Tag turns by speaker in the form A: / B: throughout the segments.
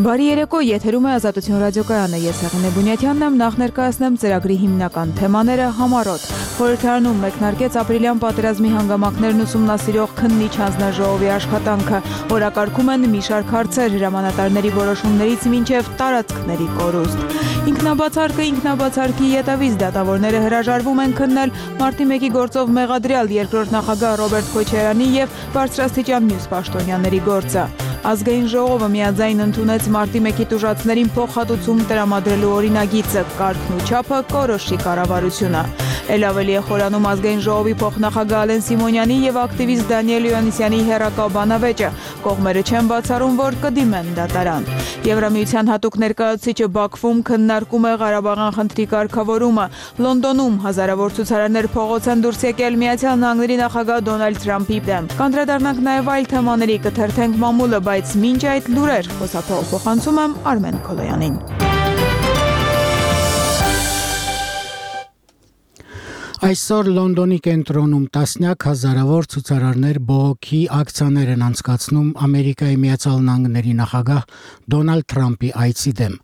A: Բարի երեկո, եթերում է Ազատություն ռադիոկայանը, ես Հեղինե Բունյաթյանն եմ, նախ ներկայացնեմ ծրագրի հիմնական թեմաները համառոտ։ Խորհրդարանում մեկնարկեց ապրիլյան պատերազմի հանգամանքներն ուսումնասիրող քննիչ հանձնաժողովի աշխատանքը, օրակարգում են մի շարք հարցեր հրամանատարների որոշումներից մինչև տարածքների կորուստ։ Ինքնաբացարկի ետևից դատավորները հրաժարվում են քննել մարտի 1-ի գործով մեղադրյալ երկրորդ նախագահ Ռոբերտ Քոչարյանի եւ բարձրաստիճան մյուս պաշտոնյաների գործը։ Ազգային ժողովը միաձայն ընդունեց մարտի 1-ի տուժածներին փոխհատուցում տրամադրելու օրինագիծը, կարգն ու չափը կորոշի կառավարությունը։ Էլ ավելի է խորանում ազգային ժողովի փոխնախագահ Ալեն Սիմոնյանի եւ ակտիվիստ Դանիել Յոհաննիսյանի հերակա բանավեճը, կողմերը չեն բացառում, որ կդիմեն դատարան։ Եվրամիության հատուկ ներկայացուցիչը Բաքվում քննարկում է Ղարաբաղյան խնդրի կարգավորումը։ Լոնդոնում հազարավոր ցուցարարներ փողոց են դուրս եկել Միացյալ Նահանգների նախագահ Դոնալդ Թրամփի դեմ։ Կանդրադառնանք նաեւ այլ թեմաների, կթերթենք մամուլը, բայց մինչ այդ լուրեր, խոսափողում եմ Արմեն Քոլոյանին։
B: Այսօր Լոնդոնի կենտրոնում տասնյակ հազարավոր ցուցարարներ բողոքի ակցիաներ են անցկացնում Ամերիկայի Միացյալ Նահանգների նախագահ Դոնալդ Թրամփի այցի դեմ։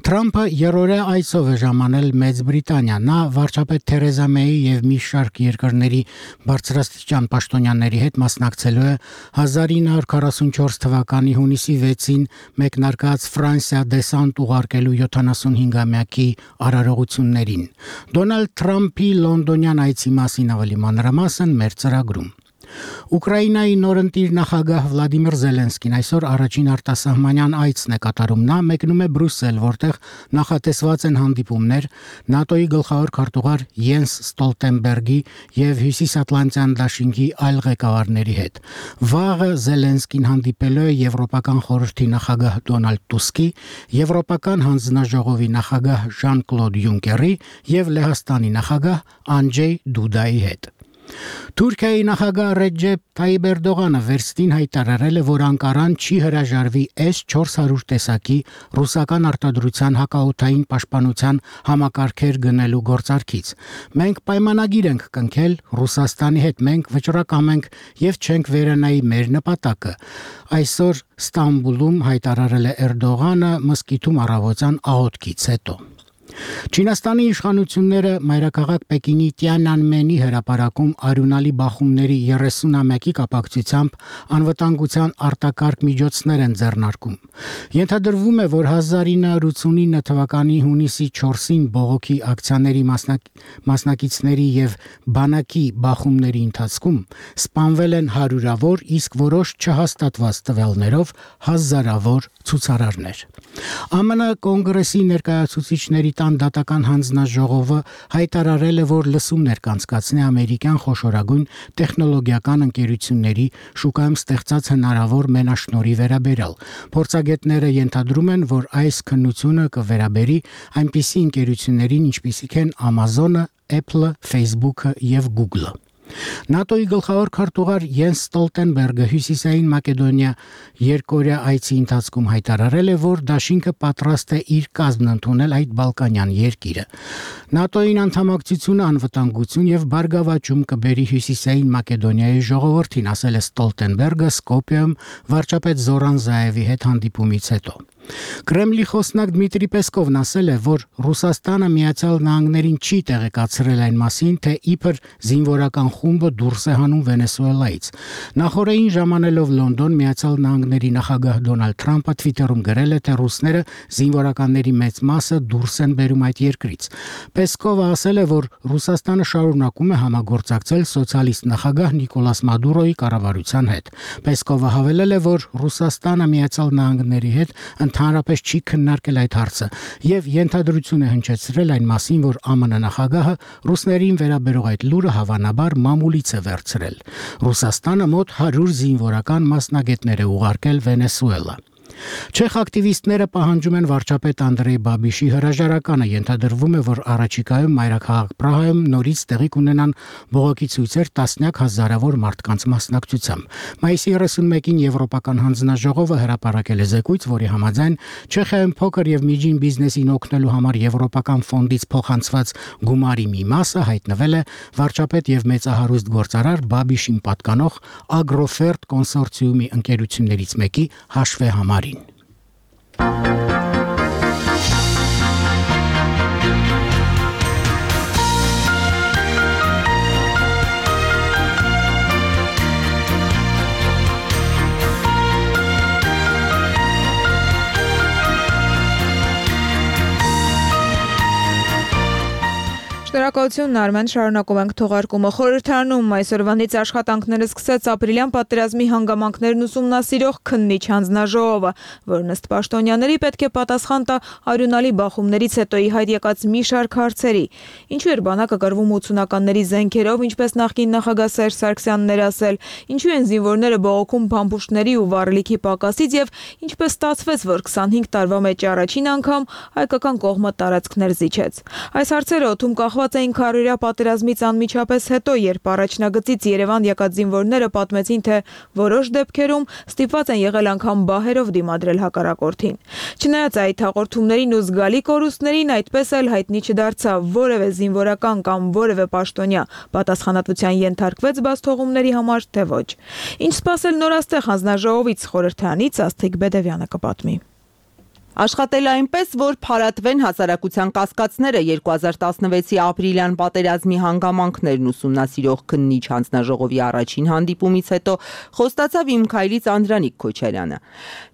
B: Թրամփը երրորդյա այցով է ժամանել Մեծ Բրիտանիա։ Նա վարչապետ Թերեզա Մեյի եւ մի շարք երկրների բարձրաստիճան պաշտոնյաների հետ մասնակցելու է 1944 թվականի հունիսի 6-ին մեկնարկած Ֆրանսիա դեսանտ ուղարկելու 75-ամյակի արարողություններին։ Դոնալդ Թրամփի Լոնդոնյան այցի մասին ավելի մանրամասն մեր ծրագրում։ Ուկրաինայի նորընտիր նախագահ Վլադիմիր Զելենսկին այսօր առաջին արտասահմանյան այցն է կատարում։ Նա մեկնում է Բրյուսել, որտեղ նախատեսված են հանդիպումներ ՆԱՏՕ-ի գլխավոր քարտուղար Յենս Ստոլտենբերգի եւ Հյուսիսատլանտյան դաշինքի այլ ղեկավարների հետ։ Վաղը Զելենսկին հանդիպելու է Եվրոպական խորհրդի նախագահ Դոնալդ Տուսկի, Եվրոպական հանձնաժողովի նախագահ Ժան-Կլոդ Յունկերի եւ Լեհաստանի նախագահ Անջեյ Դուդայի հետ։ Թուրքիայի նախագահ Ռեջեփ Թայիպ Էրդողանը վերստին հայտարարել է, որ Անկարան չի հրաժարվի S-400 տեսակի ռուսական արտադրության հակաօդային պաշտպանության համակարգեր գնելու գործարքից։ Մենք պայմանագիր ենք կնքել Ռուսաստանի հետ, մենք վճռակամ ենք եւ չենք վերանայի մեր նպատակը։ Այսօր Ստամբուլում հայտարարել է Էրդողանը մսկիթում առավոտյան աղոթքից հետո։ Չինաստանի իշխանությունները մայրաքաղաք Պեկինի Տիանանմենի հրապարակում արյունալի բախումների 30-ամյակի կապակցությամբ անվտանգության արտակարգ միջոցներ են ձեռնարկում։ Ենթադրվում է, որ 1989 թվականի հունիսի 4-ին բողոքի ակցիաների մասնակիցների եւ բանակի բախումների ընթացքում սպանվել են հարյուրավոր, իսկ որոշ չհաստատված տվյալներով հազարավոր ցուցարարներ։ ԱՄՆ կոնգրեսի ներկայացուցիչների տան դատական հանձնաժողովը հայտարարել է, որ լսումներ կանցկացնի ամերիկյան խոշորագույն տեխնոլոգիական ընկերությունների շուկայում ստեղծած հնարավոր մենաշնորհի վերաբերյալ։ Փորձագետները ենթադրում են, որ այս քննությունը կվերաբերի այնպիսի ընկերություններին, ինչպիսիք են Amazon-ը, Apple-ը, Facebook-ը եւ Google-ը։ ՆԱՏՕ-ի գլխավոր քարտուղար Յենս Ստոլտենբերգը Հյուսիսային Մակեդոնիա երկօրյա այցի ընթացքում հայտարարել է, որ դաշինքը պատրաստ է իր կազմն ընդունել այդ բալկանյան երկիրը։ ՆԱՏՕ-ին անդամակցությունը անվտանգություն եւ բարգավաճում կբերի Հյուսիսային Մակեդոնիայի ժողովրդին, ասել է Ստոլտենբերգը Սկոպիայում վարչապետ Զորան Զայևի հետ հանդիպումից հետո։ Կրեմլի խոսնակ Դմիտրի Պեսկովն ասել է, որ Ռուսաստանը Միացյալ Նահանգներին չի տեղեկացրել այն մասին, թե իբր զինվորական խումբը դուրս է հանում Վենեսուելայից։ Նախորդին ժամանելով Լոնդոն, Միացյալ Նահանգների նախագահ Դոնալդ Թրամփը Twitter-ում գրել է, թե ռուսները զինվորականների մեծ մասը դուրս են բերում այդ երկրից։ Պեսկովը ասել է, որ Ռուսաստանը շարունակում է համագործակցել սոցիալիստ նախագահ Նիկոլաս Մադուրոյի կառավարության հետ։ Պեսկովը հավելել է, որ Ռուսաստանը Միացյալ Նահանգների հետ ընդհանրապես չի քննարկել այդ հարցը եւ ենթադրություն է հնչեցրել այն մասին, որ ԱՄՆ նախագահը ռուսներին վերաբերող այդ լուրը հավանաբար մամուլից է վերցրել։ Ռուսաստանը մոտ 100 զինվորական մասնագետներ է ուղարկել Վենեսուելա։ Չեխ ակտիվիստները պահանջում են վարչապետ Անդրեյ Բաբիշի հրաժարականը։ Ենթադրվում է, որ առաջիկայում մայրաքաղաք Պրահայում նորից տեղի կունենան բողոքի ցույցեր տասնյակ հազարավոր մարդկանց մասնակցությամբ։ Մայիսի 31-ին Եվրոպական հանձնաժողովը հրապարակել է զեկույց, որի համաձայն Չեխիայում փոքր եւ միջին բիզնեսին օգնելու համար Եվրոպական ֆոնդից փոխանցված գումարի մի մասը հայտնվել է վարչապետ եւ մեծահարուստ գործարար Բաբիշին պատկանող Ագրոֆերտ կոնսորցիումի ընկերություններից մեկի հաշվեհամարին։
A: Շնորհակալություն Արմեն, շարունակում ենք թողարկումը։ Խորհրդարանում այսօրվանից աշխատանքները սկսեց ապրիլյան պատերազմի հանգամանքներն ուսումնասիրող քննիչ հանձնաժողովը, որն ըստ պաշտոնյաների պետք է պատասխան տա արյունալի բախումներից հետո ի հայտ եկած մի շարք հարցերի։ Ինչու էր բանակը կռվում 80-ականների զենքերով, ինչպես նախկին նախագահ Սերժ Սարգսյանն էր ասել, ինչու են զինվորները բողոքում փամփուշտների ու վառելիքի պակասից եւ ինչպես ստացվեց, որ 25 տարվա մեջ առաջին անգամ հայկական կողմը տարածքներ զիջեց։ Այս հարցերը օդում կախված էին քարորյա պատերազմից անմիջապես հետո, երբ առաջնագծից Երևան եկած զինվորները պատմեցին, թե որոշ դեպքերում ստիպված են եղել անգամ բահերով դիմադրել հակառակորդին։ Չնայած այդ հաղորդումներին ու զգալի կորուստներին, այդպես էլ հայտնի չդարձավ որևէ զինվորական կամ որևէ պաշտոնյա պատասխանատվության ենթարկվեց բացթողումների համար, թե ոչ։ Ինչ սպասել նորաստեղ հանձնաժողովից, խորհրդարանից Աստղիկ Բեդևյանը կպատմի։
C: Աշխատել այնպես, որ փարատվեն հասարակության կասկածները 2016-ի ապրիլյան պատերազմի հանգամանքներն ուսումնասիրող քննիչ հանձնաժողովի առաջին հանդիպումից հետո խոստացավ իմ քայլից Անդրանիկ Քոչարյանը։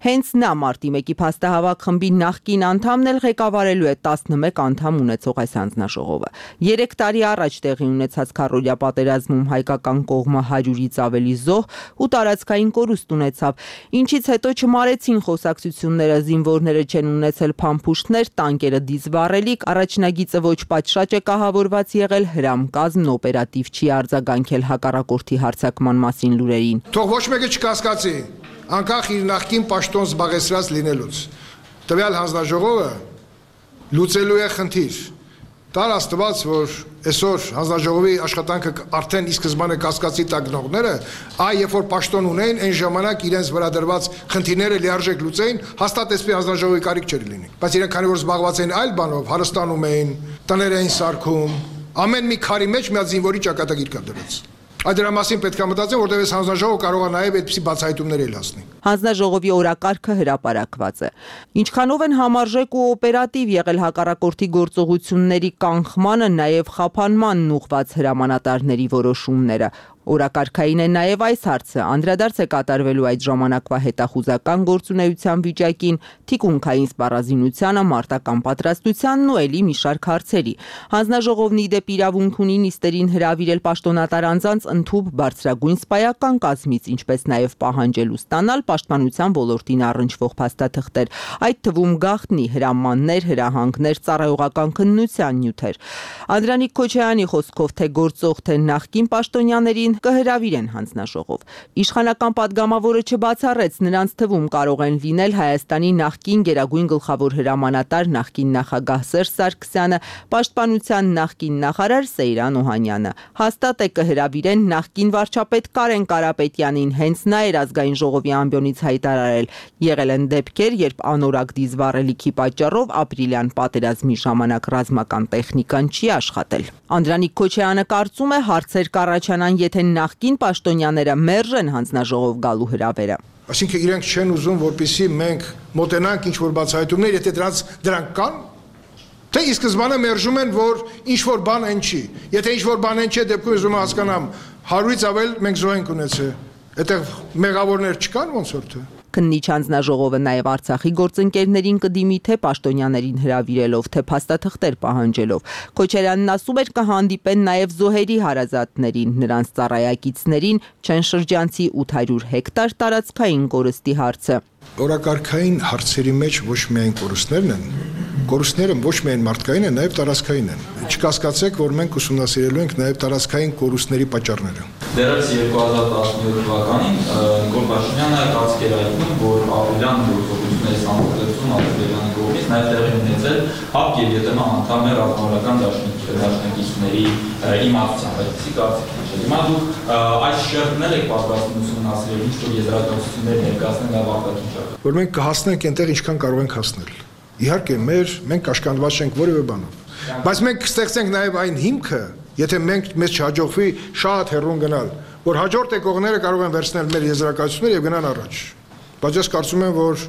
C: Հենց նա մարտի 1-ի փաստահավաք խմբի նախկին անդամն էլ ղեկավարելու է 11 անդամ ունեցող այս հանձնաժողովը։ 3 տարի առաջ տեղի ունեցած քարորյա պատերազմում հայկական կողմը 100-ից ավելի զոհ ու տարածքային կորուստ ունեցավ, ինչից հետո չմարեցին խոսակցությունները, զինվորները չեն ունեցել փամփուշտներ, տանկերը դիզվառելիք, առաջնագիծը ոչ պատշաճ է կահավորված եղել, հրամկազմն օպերատիվ չի արձագանքել հակառակորդի հարձակման մասին լուրերին։
D: Թող ոչ մեկը չկասկածի, անկախ իր նախկին պաշտոն զբաղեցրած լինելուց։ Տվյալ հանձնաժողովը լուծելու է խնդիր։ Տար Աստված, որ այսօր հանձնաժողովի աշխատանքը արդեն ի սկզբանե կասկածի տակ գնողները, երբ որ պաշտոն ունեն, այն ժամանակ իրենց վրա դրված խնդիրները լիարժեք լուծեին, հաստատ այսպես հանձնաժողովի կարիք չէր լինի։ Բայց իրենք քանի որ զբաղված են այլ բանով, հարստանում էին, տներ էին սարքում, ամեն մի քարի մեջ մի հատ զինվորի ճակատագիր կար դրած։ Այդ դրա մասին պետք է մտածեն, որտեղ այս հանձնաժողովը կարող է նաև այդպիսի բացահայտումներ էլ հասնի։
C: Հանձնաժողովի օրակարգը հրապարակված է։ Ինչքանով են համարժեք ու օպերատիվ եղել հակառակորդի գործողությունների կանխմանը, նաև խափանմանն ուղղված հրամանատարների որոշումները։ Օրակարգային է նաև այս հարցը, անդրադարձ է կատարվելու այդ ժամանակվա հետախուզական գործունեության վիճակին, թիկունքային սպառազինությանը, մարտական պատրաստությանն ու էլի մի շարք հարցերի։ Հանձնաժողովն ի դեպ իրավունք ունի նիստերին հրավիրել պաշտոնատար անձանց ընդհուպ բարձրագույն սպայական կազմից, ինչպես նաև պահանջել ու ստանալ պաշտպանության ոլորտին առնչվող փաստաթղթեր, այդ թվում գաղտնի հրամաններ, հրահանգներ, ծառայողական քննության նյութեր։ Անդրանիկ Քոչարյանի խոսքով թե գործող, թե նախկին պաշտոնյաներին կհրավիրեն հանձնաժողով։ Իշխանական падգամավորը չբացառեց, նրանց թվում կարող են լինել Հայաստանի նախկին գերագույն գլխավոր հրամանատար, նախկին նախագահ Սերժ Սարգսյանը, պաշտպանության նախկին նախարար Սեյրան Օհանյանը։ Հաստատ է կհրավիրեն նախկին վարչապետ Կարեն Կարապետյանին, հենց նա էր ազգային ժողովի ամբիոնից հայտարարել։ Եղել են դեպքեր, երբ անորակ դիզվառելիքի պատճառով ապրիլյան պատերազմի ժամանակ ռազմական տեխնիկան չի աշխատել։ Անդրանիկ Քոչարյանը կարծում է հարցեր կառաջանան, եթե նախկին պաշտոնյաները մերժեն հանձնաժողով գալու հրավերը։
D: Այսինքն իրենք չեն ուզում, որպեսզի մենք մոտենանք ինչ-որ բացահայտումներ, եթե դրանք կան, թե ի սկզբանե մերժում են, որ ինչ-որ բան այն չի։ Եթե ինչ-որ բան այն չի, դեպքում ուզում եմ հասկանամ, 100-ից ավել մենք զոհ ենք ունեցել։ Այդտեղ մեղավորներ չկան ոնց որ թե։
C: Քննիչ հանձնաժողովը նաև Արցախի գործընկերներին կդիմի թե պաշտոնյաներին հրավիրելով, թե փաստաթղթեր պահանջելով։ Քոչարյանն ասում էր կհանդիպեն նաև զոհերի հարազատներին, նրանց ծառայակիցներին, Չենշրջանցի 800 հեկտար տարածքային կորստի հարցը։
D: Օրակարգային հարցերի մեջ ոչ միայն կորուստներն են, կորուստները ոչ միայն մարդկային են, նաև տարածքային են։ Չկասկածեք, որ մենք ուսումնասիրելու ենք նաև տարածքային կորուստների պատճառները։
E: Դեռևս 2017 թվականին Նիկոլ Փաշինյանը կասկեր այդում, որ ապրիլյան գործողությունների համապատասխան Ադրբեջանի կողմից նաև տեղի ունեցել ՀԱՊԿ եւ ԵՏՄ անդամ ռազմավարական դաշնակիցների իմացությամբ, այսպիսի կարծիքներ։ Հիմա դուք այս շերտներ եք պատրաստվում ուսումնասիրել, ինչ-որ եզրակացություններ ներկայացնել ավարտակի շարք։
D: Որ մենք կհասնենք այնտեղ, ինչքան կարող ենք հասնել։ Իհարկե, մենք կաշկանդված չենք որևէ բանով, բայց մենք կստեղծենք նաև այն հիմքը, եթե մեզ չհաջողվի շատ հեռուն գնալ, որ հաջորդ եկողները կարող են վերցնել մեր եզրակացությունները եւ գնան առաջ։ Բայց ես կարծում եմ, որ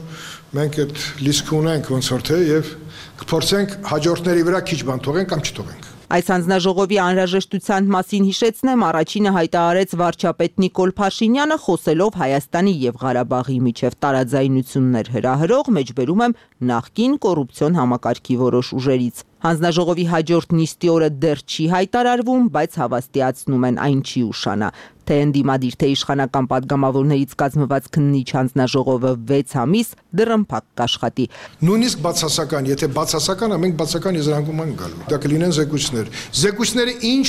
D: մենք այդ լիստը ունենք ոնց որ թե եւ կփորձենք հաջորդների վրա քիչ բան թողենք կամ չթողենք։
C: Այս հանձնաժողովի անհրաժեշտության մասին հիշեցնեմ, առաջինը հայտարարեց վարչապետ Նիկոլ Փաշինյանը, խոսելով Հայաստանի եւ Ղարաբաղի միջև տարաձայնություններ հրահրող, մեջբերում եմ նախկին կոռուպցիոն համակարգի որոշ ուժերից։ Հանձնաժողովի հաջորդ նիստի օրը դեռ չի հայտարարվում, բայց հավաստիացնում են այն չի ուշանա, թե ընդդիմադիր թե իշխանական падգամավորներից կազմված քննիչ հանձնաժողովը 6 ամիս դռնփակ կաշխատի։
D: Նույնիսկ բացասական, եթե բացասական, մենք բացասական եզրանկում ենք գալու։ Դա կլինեն զեկույցներ։ Զեկույցները ինչ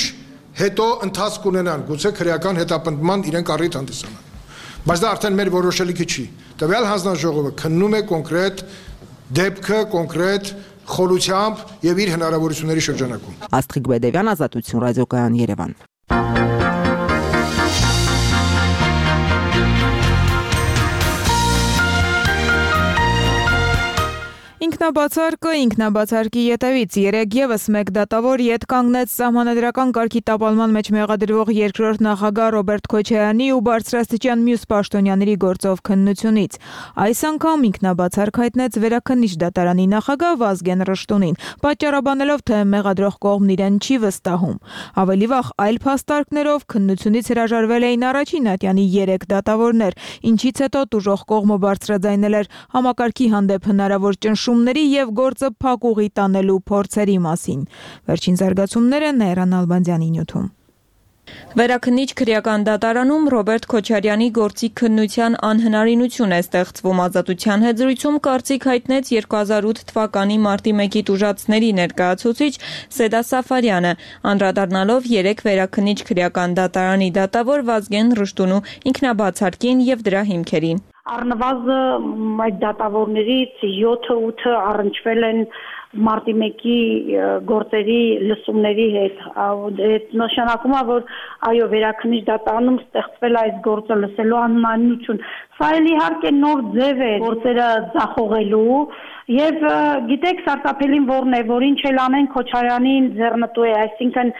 D: հետո ընթացք ունենան, գուցե քրեական հետապնդման իրենք առիթ հանդիսանան։ Բայց դա արդեն մեր որոշելիքը չի։ Տվյալ հանձնաժողովը քննում է կոնկրետ դեպքը, կոնկրետ խորությամբ եւ իր հնարավորությունների շրջանակում։
C: Աստղիկ Բեդևյան, Ազատություն, Ռադիոկայան, Երևան։
A: Ինքնաբացարկի ետևից երեկ եւս մեկ դատավոր ետ կանգնեց սահմանադրական կարգի տապալման մեջ մեղադրվող երկրորդ նախագահ Ռոբերտ Քոչարյանի ու բարձրաստիճան մյուս պաշտոնյաների գործով քննությունից։ Այս անգամ ինքնաբացարկ հայտնեց Վերաքննիչ դատարանի նախագահ Վազգեն Ռշտունին, պատճառաբանելով, թե մեղադրող կողմն իրեն չի վստահում։ Ավելի վաղ այլ փաստարկներով քննությունից հրաժարվել էին առաջին ատյանի 3 դատավորներ, ինչից հետո տուժող կողմը բարձրաձայնել էր համակարգի հանդեպ հնարավոր ճնշումների եւ գործը փակուղի տանելու փորձերի մասին։ Վերջին զարգացումները Նայրան Ալբանդյանի նյութում։
F: Վերաքննիչ քրեական դատարանում Ռոբերտ Քոչարյանի գործի քննության անհնարինություն է ստեղծվում ազատության հետ զրույցում կարծիք հայտնեց 2008 թվականի մարտի 1-ի տուժածների ներկայացուցիչ Սեդա Սաֆարյանը, անդրադառնալով 3 վերաքննիչ քրեական դատարանի դատավոր Վազգեն Ռշտունու ինքնաբացարկին եւ դրա հիմքերին։
G: Առնվազն այդ դատավորներից 7-8 առնչվել են մարտի 1-ի գործերի լսումների հետ, այդ նշանակում է, որ այո, վերաքննիչ դատարանում ստեղծվել այս գործը լսելու անհնարինություն։ Սա էլ իհարկե նոր ձև է գործերը ձախողելու եւ գիտեք սարսափելին որն է, որ ինչ էլ անեն Քոչարյանին ձեռնտու է, այսինքն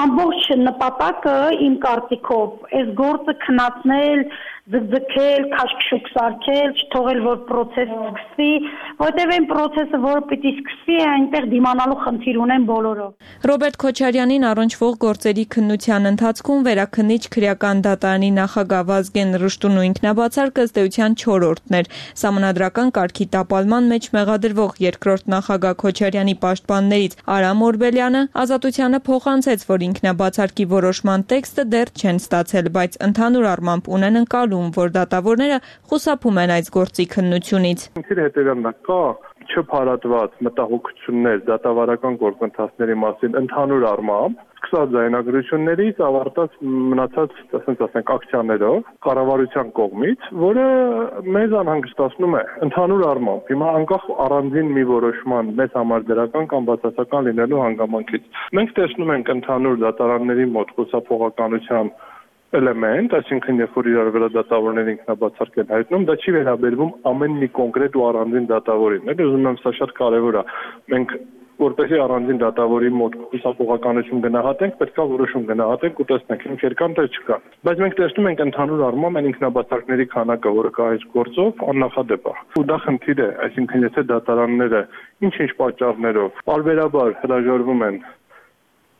G: ամբողջ նպատակը իմ կարծիքով այս գործը քննացնել, ձգձգել, քաշքշուկ սարքել, չթողել որ process սկսվի, որտեղ այն process-ը, որը պիտի սկսվի, այնտեղ դիմանալու խնդիր ունեն բոլորով։
F: Ռոբերտ Քոչարյանին առնչվող գործերի քննության ընթացքում վերաքննիչ քրեական դատարանի նախագահ Վազգեն Ռշտունու ինքնաբացարկը ըստ էության 4-րդն էր։ Սահմանադրական կարգի տապալման մեջ մեղադրվող երկրորդ նախագահ Քոչարյանի պաշտպաններից Արամ Օրբելյանը Ազատությանը փոխանցեց, որ ինքնաբացարկի որոշման տեքստը դեռ չեն ստացել, բայց ընդհանուր առմամբ ունեն ընկալում, որ դատավորները խուսափում են այս գործի քննությունից։
H: Կա չփարատված մտահոգություններ դատավարական գործընթացների մասին ընդհանուր առմամբ, սկսած ձայնագրություններից ավարտած մնացած, ասենք, ակցիաներով կառավարության կողմից, որը մեզ անհանգստացնում է ընդհանուր առմամբ։ Հիմա անկախ առանձին մի որոշման մեզ համար դրական կամ բացասական լինելու հանգամանքից։ Մենք տեսնում ենք ընդհանուր դատարանների մոտ խուսափողականության էլեմենտ, այսինքն երբ որ իրար վրա դատավորները ինքնաբացարկ են հայտնում, դա չի վերաբերվում ամեն մի կոնկրետ ու առանձին դատավորին։ Ուզում եմ սա շատ կարևոր է։ Մենք որպեսզի առանձին դատավորի մոտ խուսափողականություն գնահատենք, պետք է որոշում գնահատենք ու տեսնենք ինչ երկան թե չկա։ Բայց մենք տեսնում ենք ընդհանուր առմամբ այն ինքնաբացարկների քանակը, որը կա այս գործով, աննախադեպ է։ Ու դա խնդիր է, այսինքն եթե դատարանները ինչ-ինչ պատճառներով պարբերաբար հրաժարվում են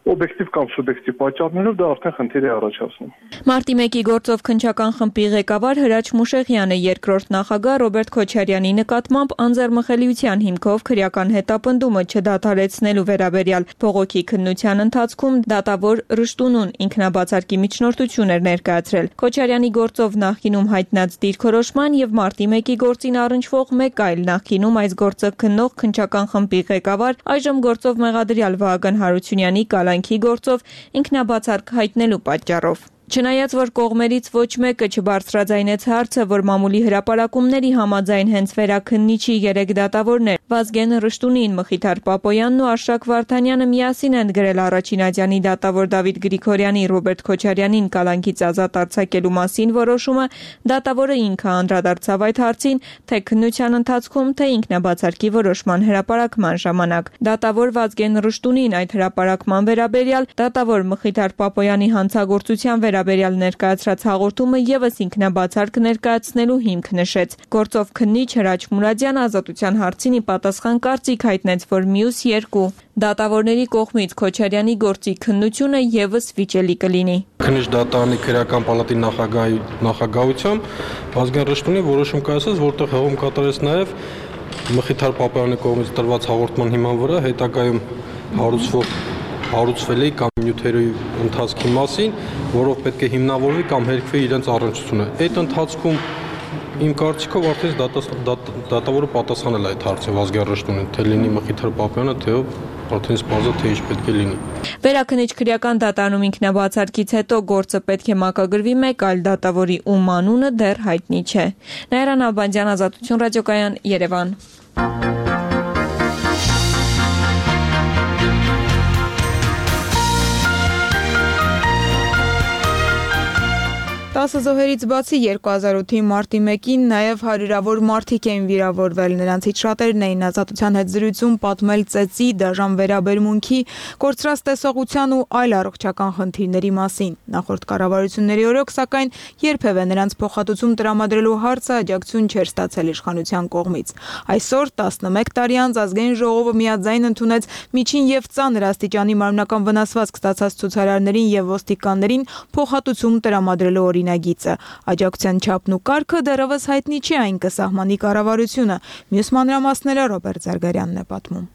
H: օբյեկտիվ կամ սուբյեկտիվ պատճառներով դա արդեն խնդիր է առաջացնում։
F: Մարտի 1-ի գործով քննչական խմբի ղեկավար Հրաչ Մուշեղյանը երկրորդ նախագահ Ռոբերտ Քոչարյանի նկատմամբ անձեռմխելիության հիմքով քրեական հետապնդումը չդադարեցնելու վերաբերյալ բողոքի քննության ընթացքում դատավոր Ռշտունուն ինքնաբացարկի միջնորդություն էր ներկայացրել։ Քոչարյանի գործով նախկինում հայտնած դիրքորոշման եւ մարտի 1-ի գործին առնչվող մեկ այլ նախկինում այս գործը քննող քննչական խմբի ղեկավար այժմ գործով մեղադրյալ Վահագն Հարությունյանի գործով ինքնաբացարկ հայտնելու պատճառով։ Չնայած որ կողմերից ոչ մեկը չբարձրաձայնեց հարցը, որ մամուլի հրապարակումների համաձայն հենց վերաքննիչի 3 դատավորներ Վազգեն Ռշտունին, Մխիթար Պապոյանն ու Արշակ Վարդանյանը միասին են գրել առաջին ատյանի դատավոր Դավիթ Գրիգորյանի, Ռոբերտ Քոչարյանին կալանքից ազատ արձակելու մասին որոշումը, դատավորը ինքը անդրադարձավ այդ հարցին, թե քննության ընթացքում, թե ինքնաբացարկի որոշման հրապարակման ժամանակ։ Դատավոր Վազգեն Ռշտունին այդ հրապարակման վերաբերյալ դատավոր Մխիթար Պապոյանի հանցագործության վերաբերյալ ներկայացրած հաղորդումը ևս ինքնաբացարկ ներկայացնելու հիմք նշեց։ Գործով քննիչ Հրաչ Մուրադյանը ազատության հարցին ի պատասխան կարծիք հայտնեց, որ մյուս երկու դատավորների կողմից Քոչարյանի գործի քննությունը ևս վիճելի կլինի։
I: Քննիչ դատարանի քրեական պալատի նախագահությամբ Վազգեն Ռշտունի որոշում կայացած, որտեղ հողում կատարեց նաև Մխիթար Պապոյանի կողմից տրված հաղորդման հիման վրա հետագայում հարուցվել է կամ նյութերի ընթացքի մասին, որով պետք է հիմնավորվի կամ հերքվի իրենց առնչությունը։ Այդ ընթացքում իմ կարծիքով արդեն դատավորը պատասխանել է այդ հարցը Վազգեն Ռշտունին, թե լինի Մխիթար Պապոյանը, թե արդեն սպասա թե ինչ պետք է լինի։
F: Վերաքննիչ քրեական դատարանում ինքնաբացարկից հետո գործը պետք է մակագրվի մեկ այլ դատավորի, ում անունը դեռ հայտնի չէ։ Նաիրան Աբանդյան, Ազատություն ռադիոկայան, Երևան։
A: 10 զոհերից բացի 2008-ի մարտի 1-ին նաև հարյուրավոր մարդիկ էին վիրավորվել։ Նրանցից շատերն էին ազատության հետ զրույցում պատմել ծեծի, դաժան վերաբերմունքի, կորցրած տեսողության ու այլ առողջական խնդիրների մասին։ Նախորդ կառավարությունների օրոք, սակայն, երբևէ նրանց փոխհատուցում տրամադրելու հարցը աջակցություն չէր ստացել իշխանության կողմից։ Այսօր 11 տարի անց ազգային ժողովը միաձայն ընդունեց միջին եւ ծանր աստիճանի մարմնական վնասվածք ստացած ցուցարարներին եւ ոստիկաններին փոխհատուցում տրամադրելու օրինագիծը։ Աջակցության չափն ու կարգը դեռևս հայտնի չի, այն կսահմանի կառավարությունը։ Մյուս մանրամասները Ռոբերտ Զարգարյանն է պատմում։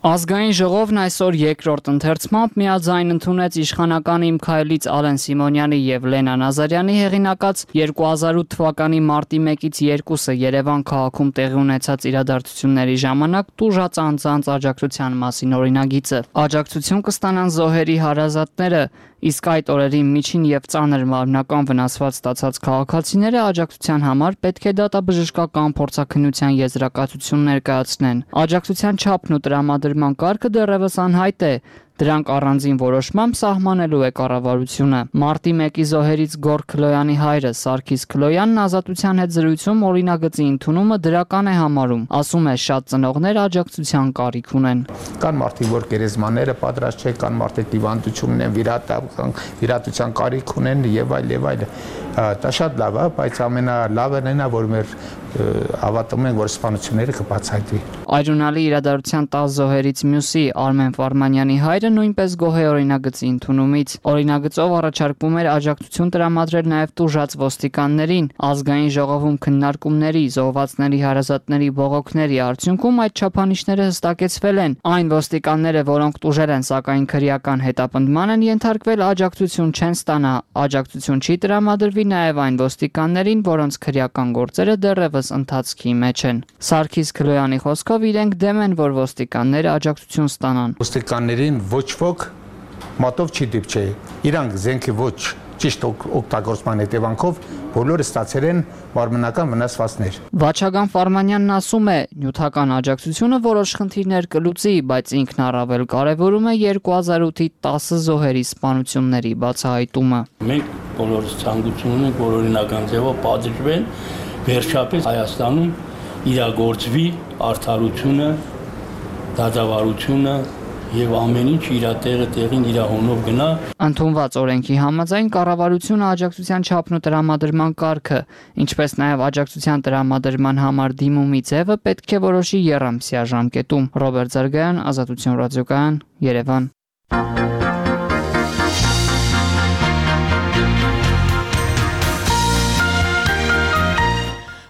J: Ազգային ժողովն այսօր երկրորդ ընթերցմամբ միաձայն ընդունեց իշխանական Իմ քայլից Ալեն Սիմոնյանի եւ Լենա Նազարյանի հեղինակած 2008 թվականի մարտի 1-ից 2-ը Երևան քաղաքում տեղի ունեցած իրադարձությունների ժամանակ տուժած անձանց աջակցության մասին օրինագիծը։ Աջակցություն կստանան զոհերի հարազատները, իսկ այդ օրերին միջին եւ ծանր մարմնական վնասված ստացած քաղաքացիները աջակցության համար պետք է դատաբժշկական փորձաքննության եզրակացություն ներկայացնեն։ Աջակցության չափն ու տրամադրման կարգը դեռևս անհայտ է։ Դրանք առանձին որոշմամբ սահմանելու է կառավարությունը։ Մարտի 1-ի զոհերից Գոր Քլոյանի հայրը Սարգիս Քլոյանն ազատության հետ զրույցում օրինագծի ընդունումը դրական է համարում։ Ասում է, շատ ծնողներ աջակցության կարիք ունեն։
K: Կան մարդիկ, որ գերեզմաները պատրաստ չեն, կան մարդիկ դիվանդություն ունեն, վիրատության կարիք ունեն եւ այլ։ Դա շատ լավ է, բայց ամենալավն է, որ մեր հավատում ենք, որ սպանությունները կբացահայտվի։
J: Այրունալի իրադարձության 10 զոհերից մյուսի Արմեն Ֆարմանյանի հայրը նույնպես գոհ է օրինագծի ընդունումից։ Օրինագծով առաջարկվում էր աջակցություն տրամադրել նաև տուժած ոստիկաններին։ Ազգային ժողովում քննարկումների, զոհվածների հարազատների բողոքների արդյունքում այդ չափանիշները հստակեցվել են։ Այն ոստիկանները, որոնք տուժել են, սակայն քրեական հետապնդման են ենթարկվել, աջակցություն չեն ստանա։ Աջակցություն չի տրամադրվի նաև այն ոստիկաններին, որոնց քրեական գործերը դեռևս ընթացքի մեջ են։ Սարգիս Քլոյանի խոսքով իրենք դեմ են, որ ոստիկանները աջակցություն ստանան։
K: Ոստիկաններին ոչ ոք մատով չի դիպչի։ Իրանք զենքի ոչ ճիշտ օգտագործման հետևանքով բոլորը ստացել են մարմնական վնասվածքներ։
J: Վաչագան Ֆարմանյանն ասում է, նյութական աջակցությունը որոշ խնդիրներ կլուծի, բայց ինքն առավել կարևորում է 2008-ի 10 զոհերի սպանությունների բացահայտումը։
L: Մենք բոլորս ցանկություն ունենք, որ օրինական ձևով պատժվեն, վերջապես Հայաստանում իրագործվի արդարությունը, դատավարությունը եւ ամեն ինչ իր տեղին իր հոնով գնա։
J: Ընդունված օրենքի համաձայն կառավարությունը աջակցության չափն ու տրամադրման կարգը, ինչպես նաև աջակցության տրամադրման համար դիմումի ձևը պետք է որոշի եռամսյա ժամկետում։ Ռոբերտ Զարգարյան, Ազատություն ռադիոկայան, Երևան։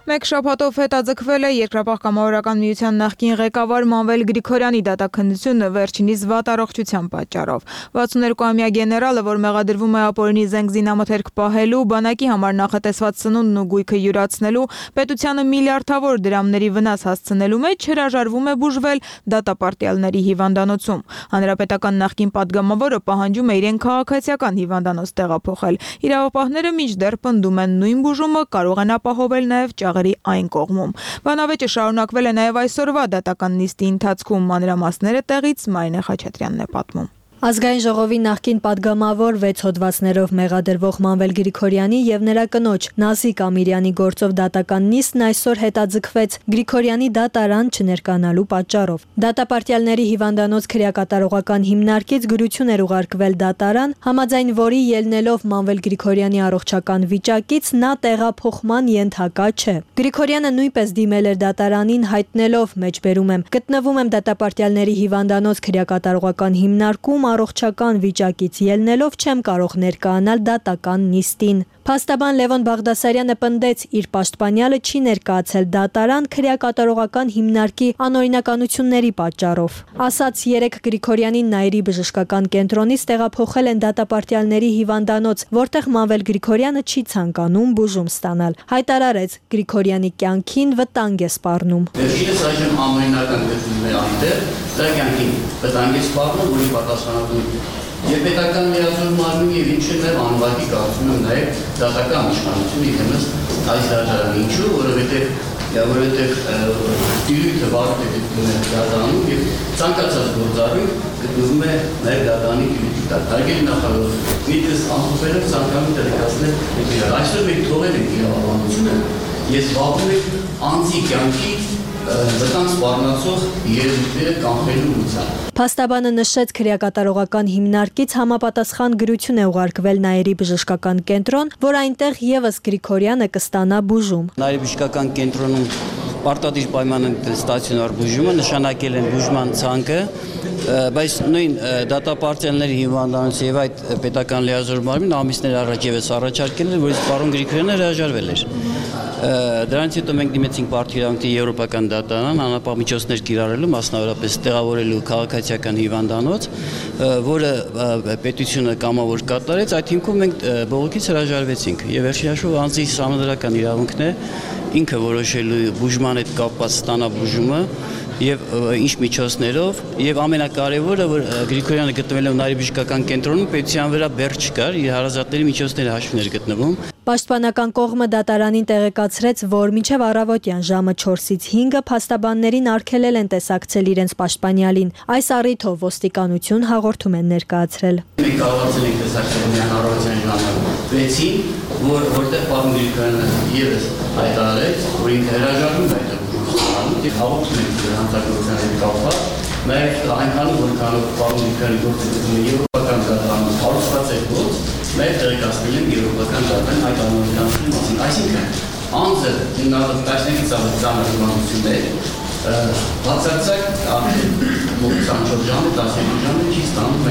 A: Մեկ շաբաթով հետաձգվել է Երկրապահ կամավորական միության նախկին ղեկավար Մանվել Գրիգորյանի դատաքննությունը վերջինիս վատ առողջության պատճառով։ 62-ամյա գեներալը, որ մեղադրվում է ապօրինի զենք զինամթերք պահելու, բանակի համար նախատեսված սնունդն ու գույքը յուրացնելու, պետությանը միլիարդավոր դրամների վնաս հասցնելու մեջ հրաժարվում է բուժվել դատապարտյալների հիվանդանոցում։ Հանրապետական նախկին պատգամավորը պահանջում է իրեն քաղաքացիական հիվանդանոց տեղափոխել։ Իրավապահները մինչդեռ պնդում են նույն բուժումը կարող են ապահովել նաև ճաղերի ճանապարհի այն կողմում։ Բանավեճը շարունակվել է նաև այսօրվա դատական նիստի ընթացքում։ Մանրամասները տեղից Մարինե Խաչատրյանն է պատմում։
M: Ազգային ժողովի նախկին падգամավոր 6 հոդվածներով մեղադրվող Մանվել Գրիգորյանի եւ նրա կնոջ Նազիկ Ամիրյանի գործով դատական նիստն այսօր հետաձգվեց Գրիգորյանի դատարան չներկանալու պատճառով։ Դատապարտյալների հիվանդանոց քրեակատարողական հիմնարկից գրություն էր ուղարկվել դատարան, համաձայն որի ելնելով Մանվել Գրիգորյանի առողջական վիճակից նա տեղափոխման ենթակա չէ։ Գրիգորյանը նույնպես դիմել էր դատարանին հայտնելով մեջբերում եմ գտնվում եմ դատապարտյալների հիվանդանոց քրեակատարողական հիմնարկում առողջական վիճակից ելնելով չեմ կարող ներկայանալ դատական նիստին։ Փաստաբան Լևոն Բաղդասարյանը պնդեց իր պաշտպանյալը չի ներկայացել դատարան քրեակատարողական հիմնարկի անօրինականությունների պատճառով։ Ասաց 3 Գրիգորյանին Նայիրի բժշկական կենտրոնից տեղափոխել են դատապարտյալների հիվանդանոց, որտեղ Մանվել Գրիգորյանը չի ցանկանում բուժում ստանալ։ Հայտարարեց Գրիգորյանի կյանքին վտանգ է սպառնում։
N: Վերջինս այժմ անօրինական գտնվում է այնտեղ, դրա կյանքին վտանգ է սպառնում, որի պատասխանատուն Եվ պետական լիազոր մարմինի եւ ինչը նաեւ անվարկի կարծում եմ նաեւ դատական իշխանությունը իհեմս այս դատարանի ինչու, որովհետեւ դիրույթը վարդ է գտնվում է դատարանում եւ ցանկացած գործառույթ գտնվում է նաեւ դատարանի դիրույթի տակ։ Հարգելի նախարար, միտքս ամփոփելով ցանկանում տեղեկացնել այսօր մենք թողել ենք իրավաբանությունը, ես վաղում եմ անձի կյանքի վտանգ սպառնացող երևույթները կանխելու ուղղությամբ։
M: Փաստաբանը նշեց քրեակատարողական հիմնարկից համապատասխան գրություն է ուղարկվել Նայիրի բժշկական կենտրոն, որ այնտեղ եւս Գրիգորյանը կստանա բուժում։
O: Նայիրի բժշկական կենտրոնում պարտադիր պայման են ստացիոնար բուժումը, նշանակել են բուժման ցանկը, բայց նույն դատապարտյալների հիվանդանոց եւ այդ պետական լիազոր մարմին ամիսներ առաջ եւս առաջարկել էր, որից պարոն Գրիգորյանը հրաժարվել էր։ Դրանից հետո մենք դիմեցինք Պարտիրանքի եվրոպական դատարան անապահ միջոցներ կիրառելու, մասնավորապես տեղավորելու քաղաքացիական հիվանդանոց, որը պետությունը կամավոր կատարեց, այդ հիմքում մենք բողոքից հրաժարվեցինք եւ վերջին հաշվով անձի համանդրական իրավունքն է ինքը որոշելու բուժման հետ կապված ստանա բուժումը եւ ինչ միջոցներով եւ ամենակարևորը որ Գրիգորյանը գտնվելով Նայիրի բժշկական կենտրոնում պետության վրա բեռ չկար, իր հարազատների միջոցների հաշվներ գտնվում։
M: Պաշտպանական կողմը դատարանին տեղեկացրեց, որ մինչև առավոտյան ժամը 4-ից 5-ը փաստաբաններին արգելել են տեսակցել իրենց պաշտպանյալին։ Այս առիթով ոստիկանություն հաղորդում են ներկայացրել։
N: Մենք կարողացել ենք տեսակցել միայն առավոտյան ժամը 6-ին, որտեղ պարոն Գրիգորյանը եւս հայտարարեց, որ ինքը հրաժարվում է այդ հաղորդում ենք հանցագործության հետ կապված, նաև այնքանում որքանով պարոն Գրիգորյանի գործողությունը եվրոպական դատարանում հարուցված է գործ, նաև տեղեկացնել են եվրոպական դատարան այդ անօրինականների մասին։ Այսինքն անձը հիմնավոր 15-ից ավելի ծանր հիվանդություններ բացարձակ մոտ 24 ժամը, 12 ժամը չի ստանում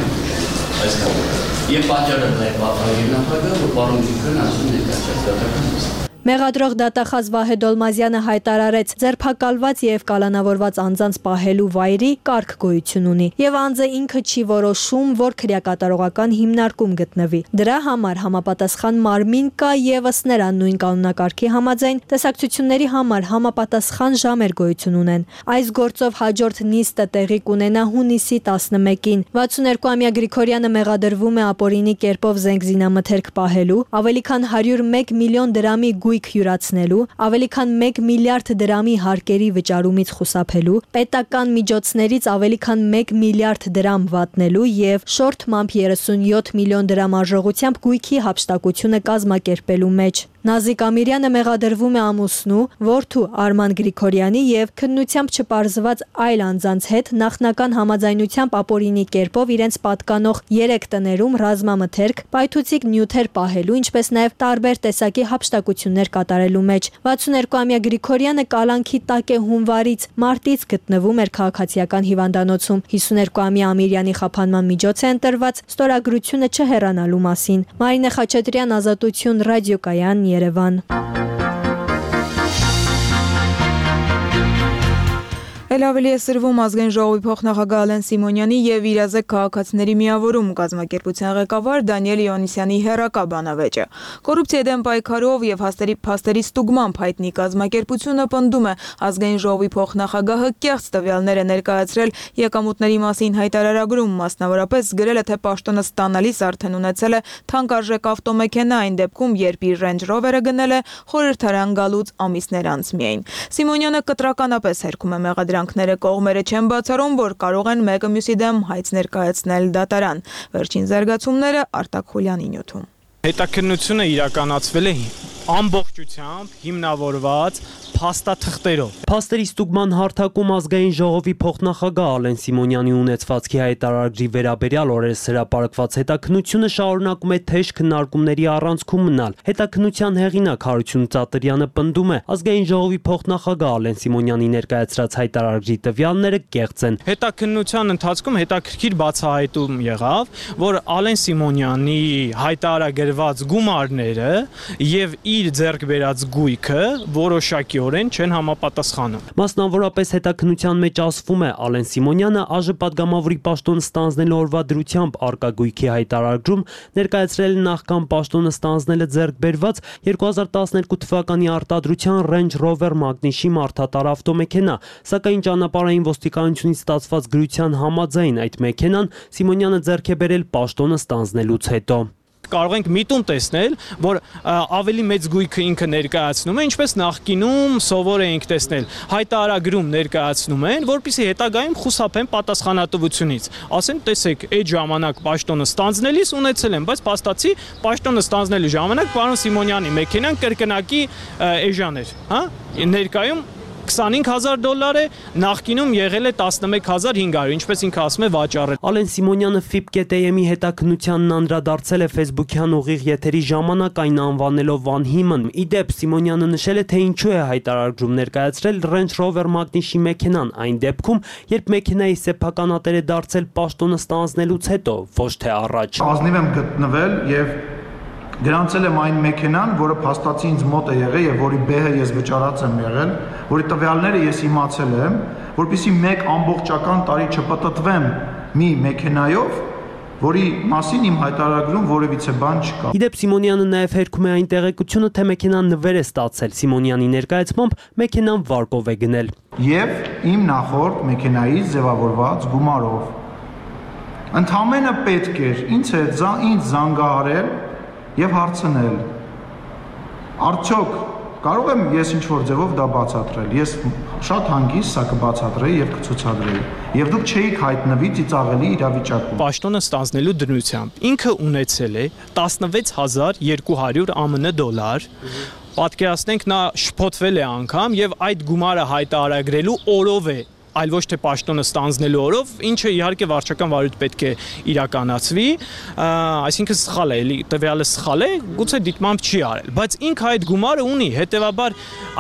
N: այս կողմը։ Եվ պատճառը դա է պատահել նախագահը, որ պարոն Գրիգորյանը ասում է ներկայացած դատական նիստ։
M: Մեղադրող դատախազ Վահե Դոլմազյանը հայտարարեց, ձերբակալված եւ կալանավորված անձանց պահելու վայրի կարգ գոյություն ունի եւ անձը ինքը չի որոշում, որ քրեակատարողական հիմնարկում գտնվի։ Դրա համար համապատասխան մարմին կա եւս նրան նույն կանոնակարգի համաձայն տեսակցությունների համար համապատասխան ժամեր գոյություն ունեն։ Այս գործով հաջորդ նիստը տեղի կունենա հունիսի 11-ին։ 62-ամյա Գրիգորյանը մեղադրվում է ապօրինի կերպով զենգզինամթերք պահելու, ավելի քան 101 միլիոն դրամի գույք յուրացնելու, ավելի քան 1 միլիարդ դրամի հարկերի վճարումից խուսափելու, պետական միջոցներից ավելի քան 1 միլիարդ դրամ վատնելու եւ շորթմամբ 37 միլիոն դրամ արժողությամբ գույքի հափշտակությունը կազմակերպելու մեջ։ Նազիկ Ամիրյանը մեղադրվում է ամուսնու, որդու Արման Գրիգորյանի եւ քննությամբ չպարզված այլ անձանց հետ նախնական համաձայնությամբ ապօրինի կերպով իրենց պատկանող 3 տներում ռազմամթերք, պայթուցիկ նյութեր պահելու, ինչպես նաեւ տարբեր տեսակի հափշտակություններ կատարելու մեջ։ 62-ամյա Գրիգորյանը կալանքի տակ է հունվարից մարտից գտնվում էր քաղաքացիական հիվանդանոցում։ 52-ամյա Ամիրյանի խափանման միջոց է ընտրված ստորագրությունը չհեռանալու մասին։ Մարինե Խաչատրյան, Ազատություն, ռադիոկայան, Երևան։
A: Էլ ավելի է սրվում ազգային ժողովի փոխնախագահ Ալեն Սիմոնյանի եւ իրազեկ քաղաքացիների միավորում կազմակերպության ղեկավար Դանիել Իոնիսյանի հերակա բանավեճը։ Կոռուպցիայի դեմ պայքարով եւ փաստերի ստուգմամբ հայտնի կազմակերպությունը պնդում է ազգային ժողովի փոխնախագահը կեղծ տվյալներ է ներկայացրել եկամուտների մասին հայտարարագրում, մասնավորապես գրել է, թե պաշտոնը ստանալիս արդեն ունեցել է թանկարժեք ավտոմեքենա այն դեպքում, երբ իր Range Rover-ը գնել է խորհրդարան գալուց ամիսներ անց միայն։ Սիմոնյանը կտրականապես հերքում է մեղադրանքները, կողմերը չեն բացառում, որ կարող են մեկը մյուսի դեմ հայց ներկայացնել դատարան։ Վերջին զարգացումները Արտակ Խուլյանի նյութում։
P: Հետաքննությունը իրականացվել է ամբողջությամբ հիմնավորված փաստաթղթերով։ Փաստերի ստուգման հարթակում ազգային ժողովի փոխնախագահ Ալեն Սիմոնյանի ունեցվածքի հայտարարագրի վերաբերյալ օրերս հրապարակված հետաքննությունը շարունակում է թեժ քննարկումների առանցքում մնալ։ Հետաքննության հեղինակ Հարություն Ծատրյանը պնդում է, ազգային ժողովի փոխնախագահ Ալեն Սիմոնյանի ներկայացրած հայտարարագրի տվյալները կեղծ են։ Հետաքննության ընթացքում հետաքրքիր բացահայտում եղավ, որ Ալեն Սիմոնյանի հայտարարագրված գումարները եւ իր ձեռք բերած գույքը որոշակիորեն չեն համապատասխանում։ Մասնավորապես հետաքննության մեջ ասվում է, Ալեն Սիմոնյանը ԱԺ պատգամավորի պաշտոն ստանձնելու օրվա դրությամբ արկա գույքի հայտարարագրում ներկայացրել նախքան պաշտոնը ստանձնելը ձեռք բերված 2012 թվականի արտադրության Range Rover Magnishի մարդատար ավտոմեքենա, սակայն ճանապարհային ոստիկանությունից ստացված գրության համաձայն այդ մեքենան Սիմոնյանը ձեռք է բերել պաշտոնը ստանձնելուց հետո։ Կարող ենք միտում տեսնել, որ ավելի մեծ գույքը ինքը ներկայացնում է, ինչպես նախկինում սովոր էինք տեսնել, հայտարարագրում ներկայացնում են, որպեսզի հետագայում խուսափեն պատասխանատվությունից։ Ասեն, տեսեք, այդ ժամանակ պաշտոնը ստանձնելիս ունեցել են, բայց փաստացի պաշտոնը ստանձնելու ժամանակ պարոն Սիմոնյանի մեքենան կրկնակի էժան էր, հա? Ներկայում $25,000 է, նախկինում եղել է 11,500, ինչպես ինքը ասում է վաճառել։ Ալեն Սիմոնյանը FIP.am-ի հետաքննությանն անդրադարձել է Facebook-յան ուղիղ եթերի ժամանակ այն անվանելով անհիմն։ Իդեպ Սիմոնյանը նշել է, թե ինչու է հայտարարագրում ներկայացրել Range Rover Magnishի մեքենան այն դեպքում, երբ մեքենայի սեփականատեր է դարձել պաշտոնը ստանձնելուց հետո, ոչ թե առաջ։
Q: Ազնիվ եմ գտնվել եւ գրանցել եմ այն մեքենան, որը փաստացի ինձ մոտ է եղել եւ որի բեհը ես վճարած եմ եղել, որի տվյալները ես իմացել եմ, որպեսզի մեկ ամբողջական տարի չպտտվեմ մի մեքենայով, որի մասին իմ հայտարարագրում որևիցե բան չկա։ Իդեպ
P: Սիմոնյանը նաև հերքում է այն տեղեկությունը, թե մեքենան նվեր է ստացել։ Սիմոնյանի ներկայացմամբ մեքենան վարկով է գնել։
Q: Եվ իմ նախորդ մեքենայից ձևավորված գումարով։ Ընդամենը պետք էր ինձ զանգահարել եւ հարցնել. Արդյոք կարող եմ ես ինչ-որ ձևով դա բացատրել։ Ես շատ հանգիստ սա կբացատրեի եւ կցուցադրեի։ Եվ դուք չէիք հայտնվի ծիծաղելի իրավիճակում։ Պաշտոնը
P: ստանձնելու դրությամբ ինքը ունեցել է 16,200 ԱՄՆ $։ Պատկերացնենք, նա շփոթվել է անգամ եւ այդ գումարը հայտարարագրելու օրով է, այլ ոչ թե պաշտոնը ստանձնելու օրով, ինչը իհարկե վարչական վարույթ պետք է իրականացվի, այսինքն սխալ է, էլի տվյալը սխալ է, գուցե դիտմամբ չի արել, բայց ինքը այդ գումարը ունի, հետեւաբար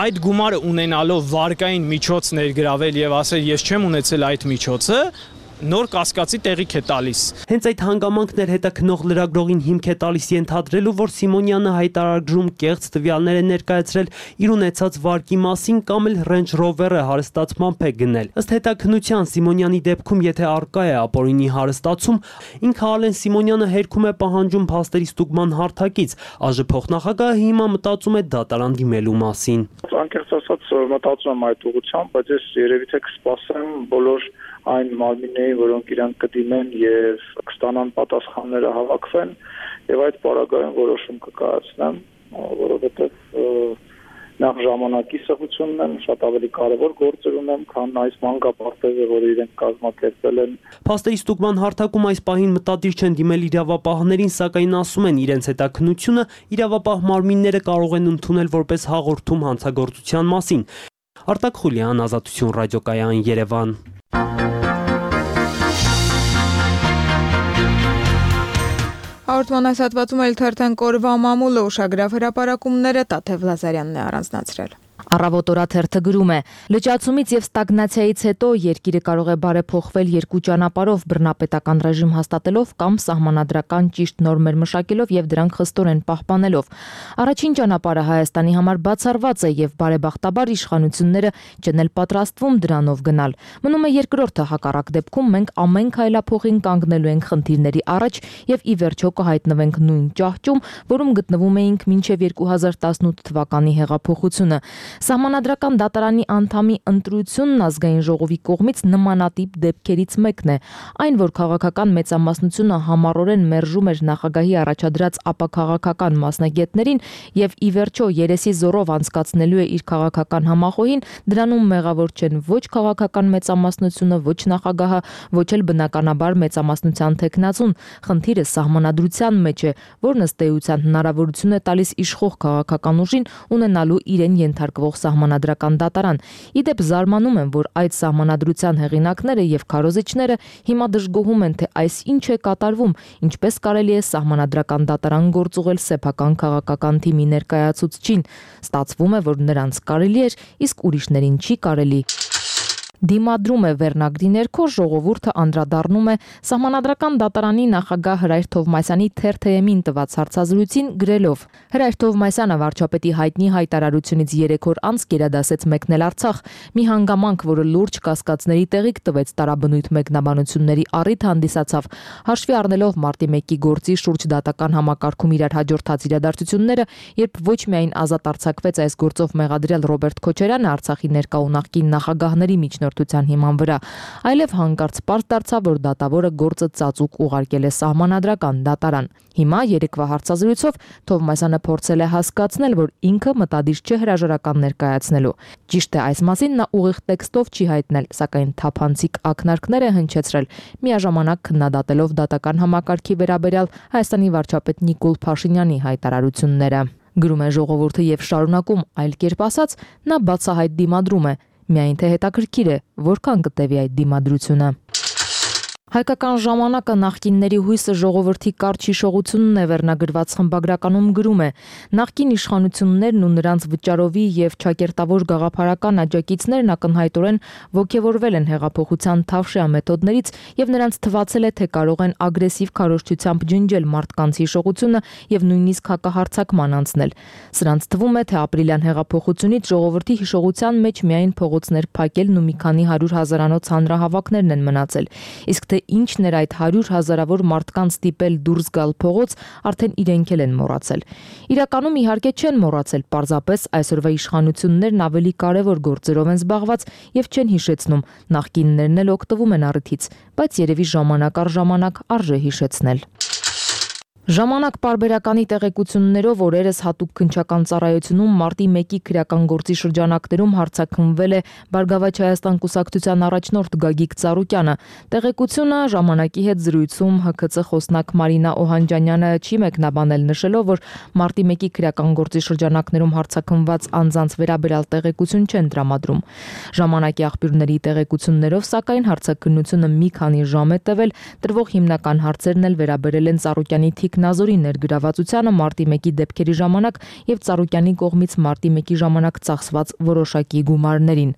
P: այդ գումարը ունենալով վարկային միջոց ներգրավել եւ ասել ես չեմ ունեցել այդ միջոցը, նոր կասկածի տեղիք է տալիս։ Հենց այդ հանգամանքներ հետաքնող լրագրողին հիմք է տալիս ենթադրելու, որ Սիմոնյանը հայտարարագրում կեղծ տվյալներ է ներկայացրել իր ունեցած վարկի մասին կամ էլ Range Rover-ը հարստացմամբ է գնել։ Ըստ հետաքննության Սիմոնյանի դեպքում, եթե արկա է ապօրինի հարստացում, ինքը Ալեն Սիմոնյանը հերքում է պահանջում փաստերի ստուգման հարթակից։ ԱԺ փոխնախագահը հիմա մտածում է դատարան դիմելու մասին։
H: Անկեղծ ասած մտածում եմ այդ ուղղությամբ, բայց ես երևի թե կսպասեմ բոլոր այն մարմիններին, որոնք իրանք կդիմեն եւ կստանան պատասխանները հավաքվեն եւ այդ պարագայում որոշում կկայացնեմ, որովհետեւ նախ ժամանակի սղությունն եմ, շատ ավելի կարևոր գործեր ունեմ, քան այս մանկապարտեզը, որը իրենք կազմակերպել են։
P: Փաստերի ստուգման հարթակում այս պահին մտադիր չեն դիմել իրավապահներին, սակայն ասում են իրենց հետաքննությունը իրավապահ մարմինները կարող են ընդունել որպես հաղորդում հանցագործության մասին։ Արտակ Խուլյան, Ազատություն ռադիոկայան, Երևան։
A: Հաղորդման այս հատվածում էլ թերթեն կորվա մամուլը ուշագրավ հրապարակումները Տաթև Լազարյանն է առանձնացրել։
R: Առավոտ օրաթերթը գրում է. լճացումից եւ ստագնացիայից հետո երկիրը կարող է բարեփոխվել երկու ճանապարհով՝ բռնապետական ռեժիմ հաստատելով կամ սահմանադրական ճիշտ նորմեր մշակելով եւ դրանք խստորեն պահպանելով։ Առաջին ճանապարհը Հայաստանի համար բացառված է եւ բարեբախտաբար իշխանությունները չեն էլ պատրաստվում դրանով գնալ։ Մնում է երկրորդը, հակառակ դեպքում մենք ամեն քայլափոխին կանգնելու ենք խնդիրների առաջ եւ ի վերջո կհայտնվենք նույն ճահճում, որում գտնվում էինք մինչեւ 2018 թվականի հեղափոխությունը։ Սահմանադրական դատարանի անդամի ընտրությունն ազգային ժողովի կողմից նմանատիպ դեպքերից մեկն է։ Այն, որ քաղաքական մեծամասնությունը համառորեն մերժում էր նախագահի առաջադրած ապաքաղաքական մասնագետներին եւ ի վերջո երեսի զորով անցկացնելու է իր քաղաքական համախոհին, դրանում մեղավոր չեն ոչ քաղաքական մեծամասնությունը, ոչ նախագահը, ոչ էլ բնականաբար մեծամասնության թեկնածուն։ Խնդիրը սահմանադրության մեջ է, որն ըստ էության հնարավորություն է տալիս իշխող քաղաքական ուժին ունենալու իրեն ենթարկվող սահմանադրական դատարան։ Իդեպ զարմանում եմ, որ այդ սահմանադրության հեղինակները եւ քարոզիչները հիմա դժգոհում են, թե այս ինչ է կատարվում, ինչպես կարելի է սահմանադրական դատարան գործուղել սեփական քաղաքական թիմի ներկայացուցչին։ Ստացվում է, որ նրանց կարելի էր, իսկ ուրիշներին չի կարելի։ Դիմադրում է վերնագրի ներքո ժողովուրդը անդրադառնում է սահմանադրական դատարանի նախագահ Հրայր Թովմասյանի թերթ-ին տված հարցազրույցին գրելով. Հրայր Թովմասյանը վարչապետի հայտնի հայտարարությունից 3 օր անց գերադասեց մեկնել Արցախ, մի հանգամանք, որը լուրջ կասկածների տեղիք տվեց տարաբնույթ մեկնաբանությունների առիթ հանդիսացավ, հաշվի առնելով մարտի 1-ի գործի շուրջ դատական համակարգում իրար հաջորդած իրադարձությունները, երբ ոչ միայն ազատ արձակվեց այս գործով մեղադրյալ Ռոբերտ Քոչարյանը Արցախի ներկա ու նախկին նախագահների միջնորդության հիման վրա, այլև հանկարծ պարզ դարձավ, որ դատավորը գործը ծածուկ ուղարկել է սահմանադրական դատարան։ Հիմա երեկվա հարցազրույցով Թովմասյանը փորձել է հասկացնել, որ ինքը մտադիր չէ հրաժարական ներկայացնելու։ Ճիշտ է, այս մասին նա ուղիղ տեքստով չի հայտնել, սակայն թափանցիկ ակնարկներ է հնչեցրել, միաժամանակ քննադատելով դատական համակարգի վերաբերյալ Հայաստանի վարչապետ Նիկոլ Փաշինյանի հայտարարությունները։ Գրում է ժողովուրդը եւ շարունակում, այլ կերպ ասած, նա բացահայտ դիմադրում է, միայն թե հետաքրքիր է, որքան կտևի այդ դիմադրությունը։ Հայկական ժամանակը նախկինների հույսը ժողովրդի կարճ հիշողությունն է վերնագրված խմբագրականում գրում է. նախկին իշխանություններն ու նրանց վճարովի եւ ճակերտավոր գաղափարական աջակիցներն ակնհայտորեն ոգևորվել են հեղափոխության թավշյա մեթոդներից եւ նրանց թվացել է, թե կարող են ագրեսիվ քարոզչությամբ ջնջել մարդկանց հիշողությունը եւ նույնիսկ հակահարձակման անցնել։ Սրանց թվում է, թե ապրիլյան հեղափոխությունից ժողովրդի հիշողության մեջ միայն փողոցներ փակելն ու մի քանի 100,000-անոց հանրահավաքներն են մնացել։ Իսկ թե ինչն էր այդ 100,000-ավոր մարդկանց ստիպել դուրս գալ փողոց, արդեն իրենք էլ են մոռացել։ Իրականում իհարկե չեն մոռացել, պարզապես այսօրվա իշխանություններն ավելի կարևոր գործերով են զբաղված եւ չեն հիշեցնում, նախկիններն էլ օգտվում են առիթից, բայց երևի ժամանակ առ ժամանակ արժե հիշեցնել։ Ժամանակ պարբերականի տեղեկություններով օրերս հատուկ քննչական ծառայությունում մարտի 1-ի քրեական գործի շրջանակներում հարցաքննվել է Բարգավաճ Հայաստան կուսակցության առաջնորդ Գագիկ Ծառուկյանը։ Տեղեկությունը ժամանակի հետ զրույցում ՀՔԾ խոսնակ Մարինա Օհանջանյանը չի մեկնաբանել, նշելով, որ մարտի 1-ի քրեական գործի շրջանակներում հարցաքննված անձանց վերաբերյալ տեղեկություն չեն տրամադրում։ Ժամանակի աղբյուրների տեղեկություններով, սակայն հարցաքննությունը մի քանի ժամ է տևել, տրվող հիմնական հարցերն էլ վերաբերել են Ծառուկյանի Նազորի ներգրավվածությանը մարտի 1-ի դեպքերի ժամանակ եւ Ծառուկյանի կողմից մարտի 1-ի ժամանակ ծախսված որոշակի գումարներին։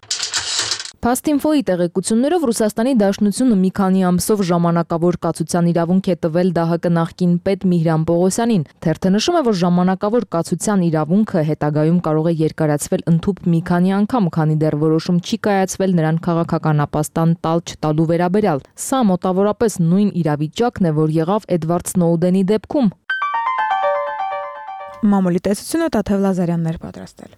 R: Փաստինֆոյի տեղեկություններով Ռուսաստանի Դաշնությունը մի քանի ամսով ժամանակավոր կացության իրավունք է տվել ԴՀԿ նախկին պետ Միհրան Պողոսյանին։ Թերթը նշում է, որ ժամանակավոր կացության իրավունքը հետագայում կարող է երկարացվել ընդհուպ մի քանի անգամ, քանի դեռ որոշում չի կայացվել նրան քաղաքական ապաստան տալ-չտալու վերաբերյալ։ Սա մոտավորապես նույն իրավիճակն է, որ եղավ Էդվարդ Սնոուդենի դեպքում։
A: Մամուլի տեսությունը Տաթև Լազարյանն էր պատրաստել։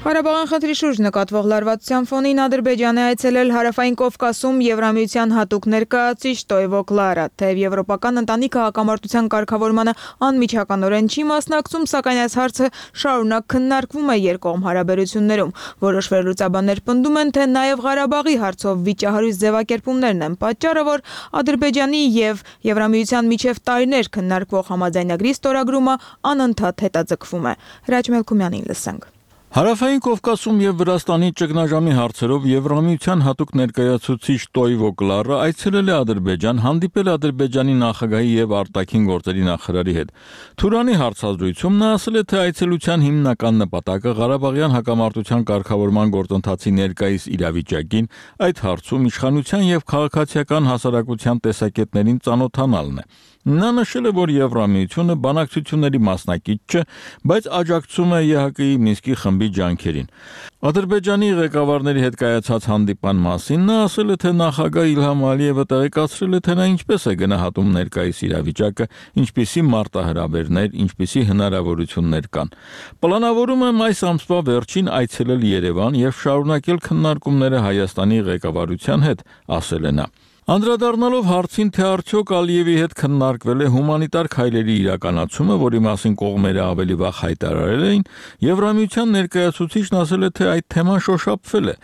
A: Ղարաբաղյան խնդրի շուրջ նկատվող լարվածության ֆոնին Ադրբեջանը այցելել Հարավային Կովկասում Եվրամիության հատուկ ներկայացուցիչ Տոյվո Կլարա, թեև եվրոպական ընտանիքը հակամարտության կարգավորմանը անմիջականորեն չի մասնակցում, սակայն այս հարցը շարունակ քննարկվում է երկկողմ հարաբերություններում։ Որոշ վերլուծաբաններ պնդում են, թե նաև Ղարաբաղի հարցով վիճահարույց ձևակերպումներն են պատճառը, որ Ադրբեջանի եւ Եվրամիության միջև տարիներ քննարկվող համաձայնագրի ստորագրումը անընդհատ հետաձգվում է։ Հրաչ Մելքումյանին լսենք։
S: Հարավային Կովկասում եւ Վրաստանի ճգնաժամի հարցերով Եվրամիության հատուկ ներկայացուցիչ Տոյվո Կլարը այցելել է Ադրբեջան, հանդիպել Ադրբեջանի նախագահի եւ արտաքին գործերի նախարարի հետ։ Թուրանի հարցազրույցում նա ասել է, թե այցելության հիմնական նպատակը Ղարաբաղյան հակամարտության կարգավորման գործընթացի ներկայիս իրավիճակին, այդ հարցում իշխանության եւ քաղաքացիական հասարակության տեսակետներին ծանոթանալն է։ Նա նշել է, որ Եվրամիությունը բանակցությունների մասնակից չէ, բայց աջակցում է ԵՀԿ-ի Մինսկի խմբի ջանքերին։ Ադրբեջանի ղեկավարների հետ կայացած հանդիպան մասին նա ասել է, թե նախագահ Իլհամ Ալիևը տեղեկացրել է, թե նա ինչպես է գնահատում ներկայիս իրավիճակը, ինչպիսի մարտահրավերներ, ինչպիսի հնարավորություններ կան։ Պլանավորում եմ այս ամսվա վերջին այցելել Երևան եւ շարունակել քննարկումները Հայաստանի ղեկավարության հետ, ասել է նա։ Անդրադառնալով հարցին, թե արդյոք Ալիևի հետ քննարկվել է հումանիտար քայլերի իրականացումը, որի մասին կողմերը ավելի վաղ հայտարարել էին, Եվրամիության ներկայացուցիչն ասել է, թե այդ թեման շոշափվել է։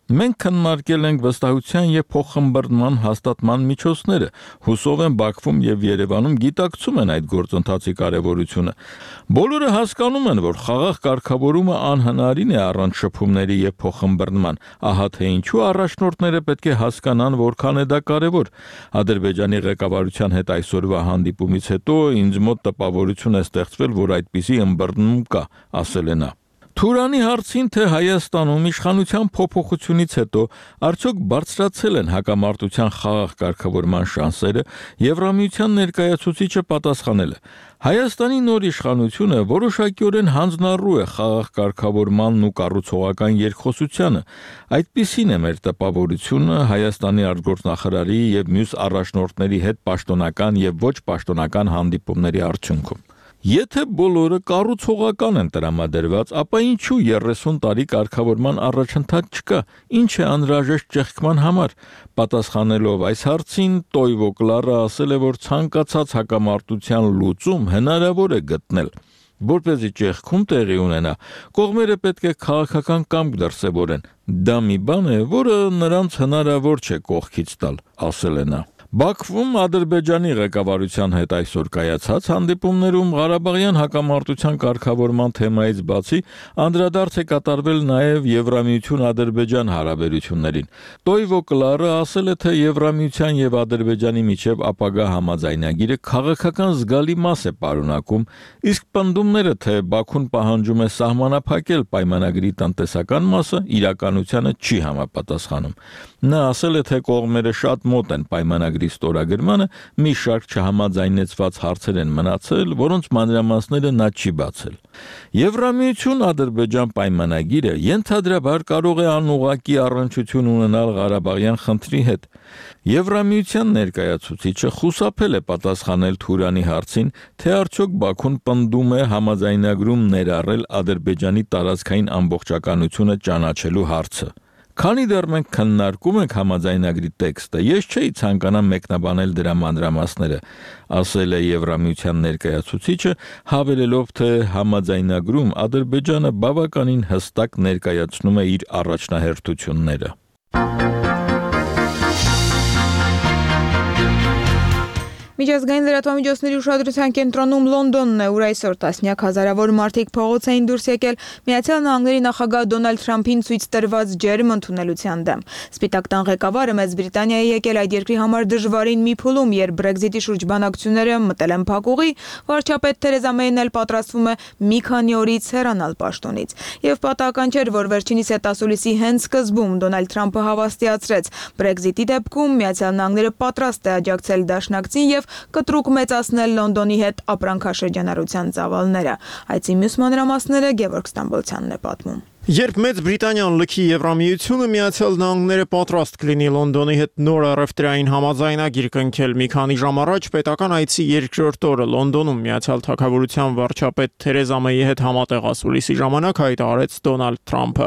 S: Մենք քննարկել ենք վստահության եւ փոխխմբռնման հաստատման միջոցները։ Հուսով եմ Բաքվում եւ Երևանում գիտակցում են այդ գործընթացի կարեւորությունը։ Բոլորը հասկանում են, որ խաղաղ կարգավորումը անհնարին է առանց շփումների եւ փոխխմբռնման։ Ահա թե ինչու առաջնորդները պետք է հասկանան, որքան է դա կարևոր։ Ադրբեջանի ղեկավարության հետ այսօրվա հանդիպումից հետո ինձ մոտ տպավորություն է ստեղծվել, որ այդպիսի ըմբռնում կա, ասել է նա։ Թուրանի հարցին, թե Հայաստանում իշխանության փոփոխությունից հետո արդյոք բարձրացել են հակամարտության խաղաղ կարգավորման շանսերը, Եվրամիության ներկայացուցիչը պատասխանել է. Հայաստանի նոր իշխանությունը որոշակիորեն հանձնառու է խաղաղ կարգավորմանն ու կառուցողական երկխոսությանը։ Այդպիսին է մեր տպավորությունը Հայաստանի արտգործնախարարի եւ մյուս առաջնորդների հետ պաշտոնական եւ ոչ պաշտոնական հանդիպումների արդյունքում։ Եթե բոլորը կառուցողական են տրամադրված, ապա ինչու 30 տարի կարգավորման առաջընթաց չկա, ինչ է անհրաժեշտ ճեղքման համար։ Պատասխանելով այս հարցին, Տոյվո Կլարը ասել է, որ ցանկացած հակամարտության լուծում հնարավոր է գտնել։ Որպեսզի ճեղքում տեղի ունենա, կողմերը պետք է քաղաքական կամք դրսևորեն։ Դա մի բան է, որը նրանց հնարավոր չէ կողքից տալ, ասել է նա։ Բաքվում Ադրբեջանի ղեկավարության հետ այսօր կայացած հանդիպումներում Ղարաբաղյան հակամարտության կարգավորման թեմայից բացի անդրադարձ է կատարվել նաև Եվրամիություն-Ադրբեջան հարաբերություններին։ Տոյվո Կլարը ասել է, թե Եվրամիության եւ Ադրբեջանի միջև ապագա համաձայնագիրը քաղաքական զգալի մաս է պարունակում, իսկ պնդումները, թե Բաքուն պահանջում է սահմանափակել պայմանագրի տնտեսական մասը, իրականությանը չի համապատասխանում։ Նա ասել է, թե կողմերը շատ մոտ են պայմանագրի ստորագրմանը, մի շարք չհամաձայնեցված հարցեր են մնացել, որոնց մանրամասները նա չի բացել։ Եվրամիություն-Ադրբեջան պայմանագիրը ենթադրաբար կարող է անուղղակի առնչություն ունենալ Ղարաբաղյան խնդրի հետ։ Եվրամիության ներկայացուցիչը խուսափել է պատասխանել Թուրանի հարցին, թե արդյոք Բաքուն պնդում է համաձայնագրում ներառել Ադրբեջանի տարածքային ամբողջականությունը ճանաչելու հարցը։ Քանի դեռ մենք քննարկում ենք համաձայնագրի տեքստը, ես չէի ցանկանա մեկնաբանել դրա մանրամասները, ասել է Եվրամիության ներկայացուցիչը, հավելելով, թե համաձայնագրում Ադրբեջանը բավականին հստակ ներկայացնում է իր առաջնահերթությունները։
A: Միջազգային լրատվամիջոցների ուշադրության կենտրոնում Լոնդոնն է, ուր այսօր տասնյակ հազարավոր մարդիկ փողոց էին դուրս եկել Միացյալ Նահանգների նախագահ Դոնալդ Թրամփին ցույց տրված ջերմ ընդունելության դեմ։ Սպիտակ տան ղեկավարը Մեծ Բրիտանիայի եկել այդ երկրի համար դժվարին մի փուլում, երբ Brexit-ի շուրջ բանակցությունները մտել են փակուղի, վարչապետ Թերեզա Մեյն էլ պատրաստվում է մի քանի օրից հեռանալ պաշտոնից։ Եվ պատահական չէր, որ վերջինիս հետասուլիսի հենց սկզբում Դոնալդ Թրամփը հավաստիացրեց. Brexit-ի դեպքում Միացյալ Նահանգները պատրաստ է աջակցել դաշնակցին եւ կտրուկ մեծացնել Լոնդոնի հետ ապրանքաշրջանառության ծավալները։ Այցի մյուս մանրամասները Գևորգ Ստամբոլցյանն է պատմում։
T: Երբ Մեծ Բրիտանիան լքի Եվրամիությունը, Միացյալ Նահանգները պատրաստ կլինի Լոնդոնի հետ նոր առևտրային համաձայնագիր կնքել։ Մի քանի ժամ առաջ պետական այցի երկրորդ օրը Լոնդոնում Միացյալ Թագավորության վարչապետ Թերեզա Մեյի հետ համատեղ ասուլիսի ժամանակ հայտարարեց Դոնալդ Թրամփը.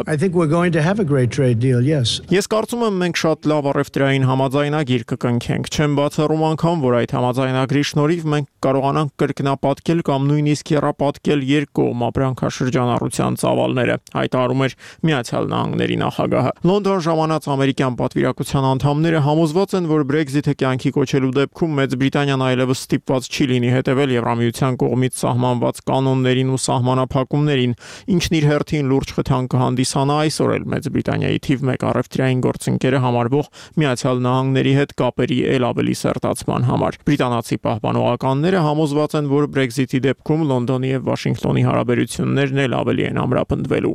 T: Ես կարծում եմ մենք շատ լավ առևտրային համաձայնագիր կկնքենք։ Չեմ բացառում անգամ, որ այդ համաձայնագրի շնորհիվ մենք կարողանանք կրկնապատկել կամ նույնիսկ եռապատկել երկկողմ ապրանքաշրջանառության ծավալները։ Հայտարարում հայտարարում էր Միացյալ Նահանգների նախագահը։ Լոնդոն ժամանած ամերիկյան պատվիրակության անդամները համոզված են, որ Brexit-ը կյանքի կոչելու դեպքում Մեծ Բրիտանիան այլևս ստիպված չի լինի հետևել Եվրամիության կողմից սահմանված կանոններին ու սահմանափակումներին, ինչն իր հերթին լուրջ խթան կհանդիսանա այսօր էլ Մեծ Բրիտանիայի թիվ 1 առևտրային գործընկերը համարվող Միացյալ Նահանգների հետ կապերի ել ավելի սերտացման համար։ Բրիտանացի պահպանողականները համոզված են, որ Brexit-ի դեպքում Լոնդոնի եւ Վաշինգտոնի հարաբերություններն էլ ավելի են ամրապնդվելու։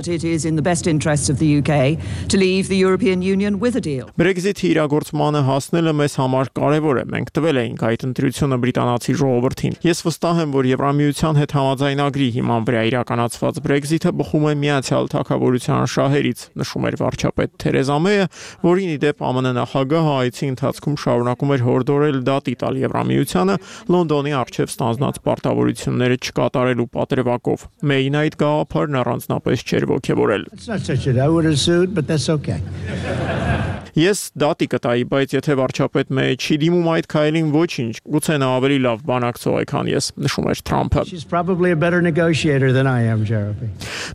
T: Brexit-ի իրագործմանը հասնելը մեզ համար կարևոր է։ Մենք տվել էինք այդ ընտրությունը բրիտանացի ժողովրդին։ Ես վստահ եմ, որ Եվրամիության հետ համաձայնագրի հիման վրա իրականացված Brexit-ը բխում է Միացյալ Թագավորության շահերից, նշում էր վարչապետ Թերեզա Մեյը, որին ի դեպ ԱՄՆ նախագահը այցի ընթացքում շարունակում էր հորդորել դատի տալ Եվրամիությանը Լոնդոնի առջև ստանձնած պարտավորությունները չկատարելու պատրվակով։ Մեյին այդ գաղափարն առանձնապես չէր ոգևորել։ Ես դատի կտայի, բայց եթե վարչապետ Մեյը չի դիմում այդ քայլին, ոչինչ, գուցե նա ավելի լավ բանակցող է, քան ես, նշում էր Թրամփը։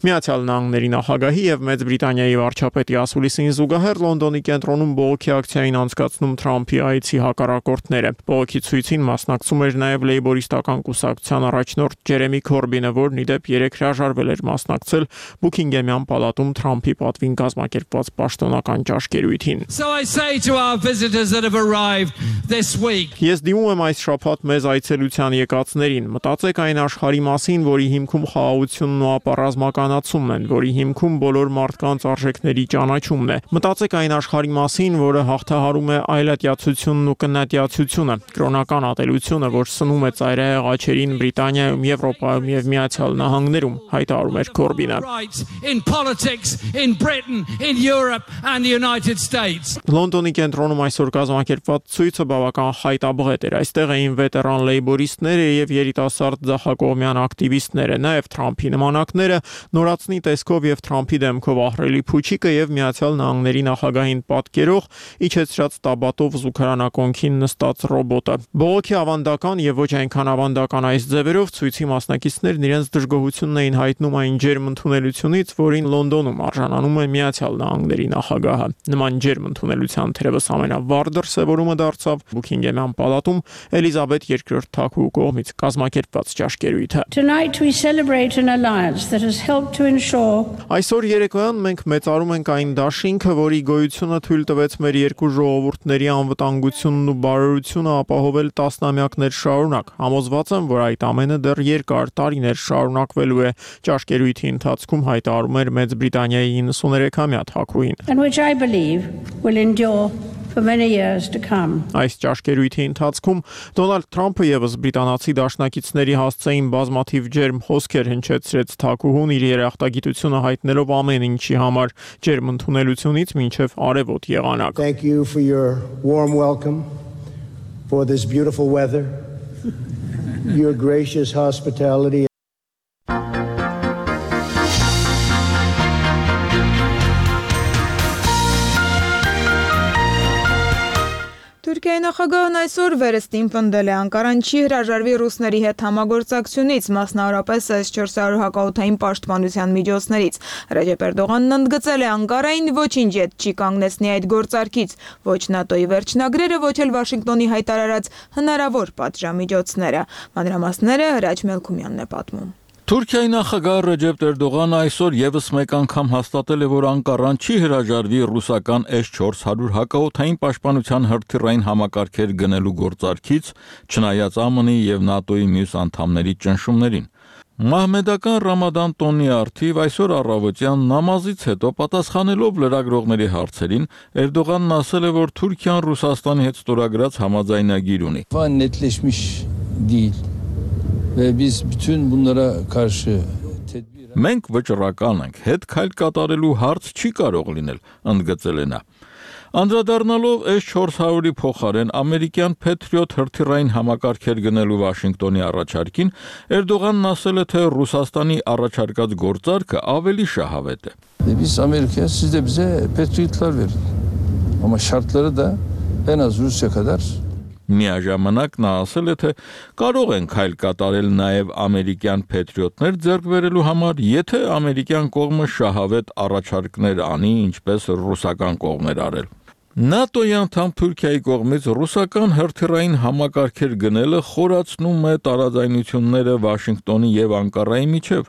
T: Միացյալ Նահանգների նախագահի եւ Մեծ Բրիտանիայի վարչապետի ասուլիսին զուգահեռ Լոնդոնի կենտրոնում բողոքի ակցիային անցկացնում Թրամփի այցի հակառակորդները։ Բողոքի ցույցին մասնակցում էր նաեւ Լեյբորիստական կուսակցության առաջնորդ Ջերեմի Քորբինը, որն ի դեպ 3 հրաժարվել էր մասնակցել Բուքինգեմյան պալատում Թրամփի պատվին կազմակերպված պաշտոնական ճաշկերույթին։
U: So I say to our visitors that have arrived this week.
T: Ես դիմում եմ այս շաբաթ մեզ այցելության եկածներին։ Մտածեք այն աշխարհի մասին, որի հիմքում խաղաղությունն ու ապառազմականացումն են, որի հիմքում բոլոր մարդկանց արժեքների ճանաչումն է։ Մտածեք այն աշխարհի մասին, որը հաղթահարում է այլատյացությունն ու կնատյացությունը, կրոնական ատելությունը, որ սնում է ծայրահեղ աչերին Բրիտանիայում, Եվրոպայում եւ Միացյալ Նահանգներում, հայտարարում էր Քորբինը։
U: In politics, in Britain, in Europe and the United States.
T: Լոնդոնի կենտրոնում այսօր կազմակերպված ցույցը բավական խայտաբղետ էր։ Այստեղ էին վետերան լեյբորիստները եւ երիտասարդ ձախակողմյան ակտիվիստները, նաեւ Թրամփի նմանակները, նորացնի տեսքով եւ Թրամփի դեմքով ահռելի փուչիկը եւ Միացյալ Նահանգների նախագահին պատկերող իջեցրած տաբատով զուգարանակոնքին նստած ռոբոտը։ Բողոքի ավանդական եւ ոչ այնքան ավանդական այս ձևերով ցույցի մասնակիցներն իրենց դժգոհությունն էին հայտնում այն ջերմ ընդունելությունից, որին Լոնդոնում արժանանում է Միացյալ Նահանգների նախագահը։ Նման ջերմ ընդունելության թերևս ամենավառ դրսևորումը դարձավ Բուքինգեմյան պալատում Էլիզաբեթ II թագուհու կողմից կազմակերպված ճաշկերույթը։ Այսօր երեկոյան մենք մեծարում ենք այն դաշինքը, որի գոյությունը թույլ տվեց մեր երկու ժողովուրդների անվտանգությունն ու բարօրությունը ապահովել տասնամյակներ շարունակ։ Համոզված եմ, որ այդ ամենը դեռ երկար տարիներ շարունակվելու է, ճաշկերույթի ընթացքում հայտարարում էր Մեծ Բրիտանիայի 93-ամյա թագուհին։
V: Will endure for many years to come.
T: Այս ճաշկերույթի ընթացքում Դոնալդ Թրամփը եւս բրիտանացի դաշնակիցների հասցեին բազմաթիվ ջերմ խոսքեր հնչեցրեց թագուհուն իր երախտագիտությունը հայտնելով ամեն ինչի համար ջերմ ընդունելությունից մինչև արևոտ եղանակ։
W: Thank you for your warm welcome, for this beautiful weather, your gracious hospitality.
A: Թուրքիայի նախագահն այսօր վերստին պնդել է Անկարան չի հրաժարվի ռուսների հետ համագործակցությունից, մասնավորապես S-400 հակաօդային պաշտպանության միջոցներից։ Ռեջեփ Էրդողանն ընդգծել է Անկարային ոչինչ ետ չի կանգնեցնի այդ գործարքից, ոչ ՆԱՏՕ-ի վերջնագրերը, ոչ էլ Վաշինգտոնի հայտարարած հնարավոր պատժամիջոցները։ Մանրամասները Հրաչ Մելքումյանն է պատմում։
S: Թուրքիայի նախագահ Ռեջեփ Էրդողանը այսօր եւս մեկ անգամ հաստատել է, որ Անկարան չի հրաժարվի ռուսական S-400 հակաօդային պաշտպանության հրթիռային համակարգեր գնելու գործարքից, չնայած ԱՄՆ-ի եւ ՆԱՏՕ-ի մյուս անդամների ճնշումներին։ Մահմեդական Ռամադան տոնի արդիվ այսօր առավոտյան նամազից հետո պատասխանելով լրագրողների հարցերին, Էրդողանն ասել է, որ Թուրքիան Ռուսաստանի հետ ստորագրած համաձայնագիր ունի։
X: Ve biz bütün bunlara karşı
S: Մենք վճռական ենք, հետ քայլ կատարելու հարց չի կարող լինել, ընդգծել է նա։ Անդրադառնալով S-400-ի փոխարեն ամերիկյան Patriot հրթիռային համակարգեր գնելու Վաշինգտոնի առաջարկին, Էրդողանն ասել է, թե Ռուսաստանի առաջարկած գործարքը ավելի շահավետ է։
X: Biz Amerika'ya siz de bize Patriot'lar verin. Ama şartları da en az Rusya kadar
S: Միաժամանակ նա ասել է, թե կարող են քայլ կատարել նաև ամերիկյան փետրիոտներ ձեռք բերելու համար, եթե ամերիկյան կողմը շահավետ առաջարկներ անի, ինչպես ռուսական կողմն էր արել։ ՆԱՏՕ-ի անդամ Թուրքիայի կողմից ռուսական հրթիռային համակարգեր գնելը խորացնում է տարաձայնությունները Վաշինգտոնի եւ Անկարայի միջև։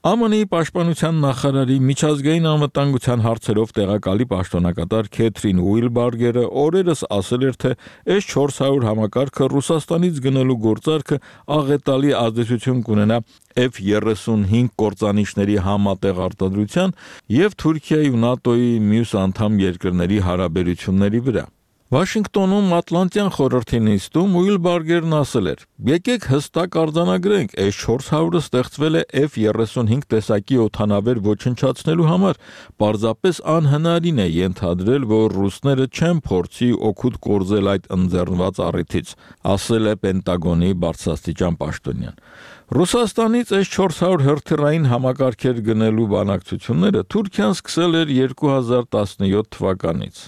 S: ԱՄՆ-ի պաշտպանության նախարարի միջազգային անվտանգության հարցերով տեղակալի պաշտոնակատար Քեթրին Ուիլբարգերը օրերս ասել էր, թե S-400 համակարգը Ռուսաստանից գնելու գործարքը աղետալի ազդեցություն կունենա F-35 կործանիչների համատեղ արտադրության եւ Թուրքիայի ու ՆԱՏՕ-ի մյուս անդամ երկրների հարաբերությունների վրա։ Վաշինգտոնում Ատլանտյան խորհրդի նիստում Ուիլբարգերն ասել էր. «Եկեք հստակ արձանագրենք, S-400-ը ստեղծվել է F-35 տեսակի օդանավեր ոչնչացնելու համար, պարզապես անհնարին է ենթադրել, որ ռուսները չեն փորձի օգուտ կորզել այդ ընձեռնված առիթից», ասել է Պենտագոնի բարձրաստիճան պաշտոնյան։ Ռուսաստանից S-400 հրթիռային համակարգեր գնելու բանակցությունները Թուրքիան սկսել էր 2017 թվականից։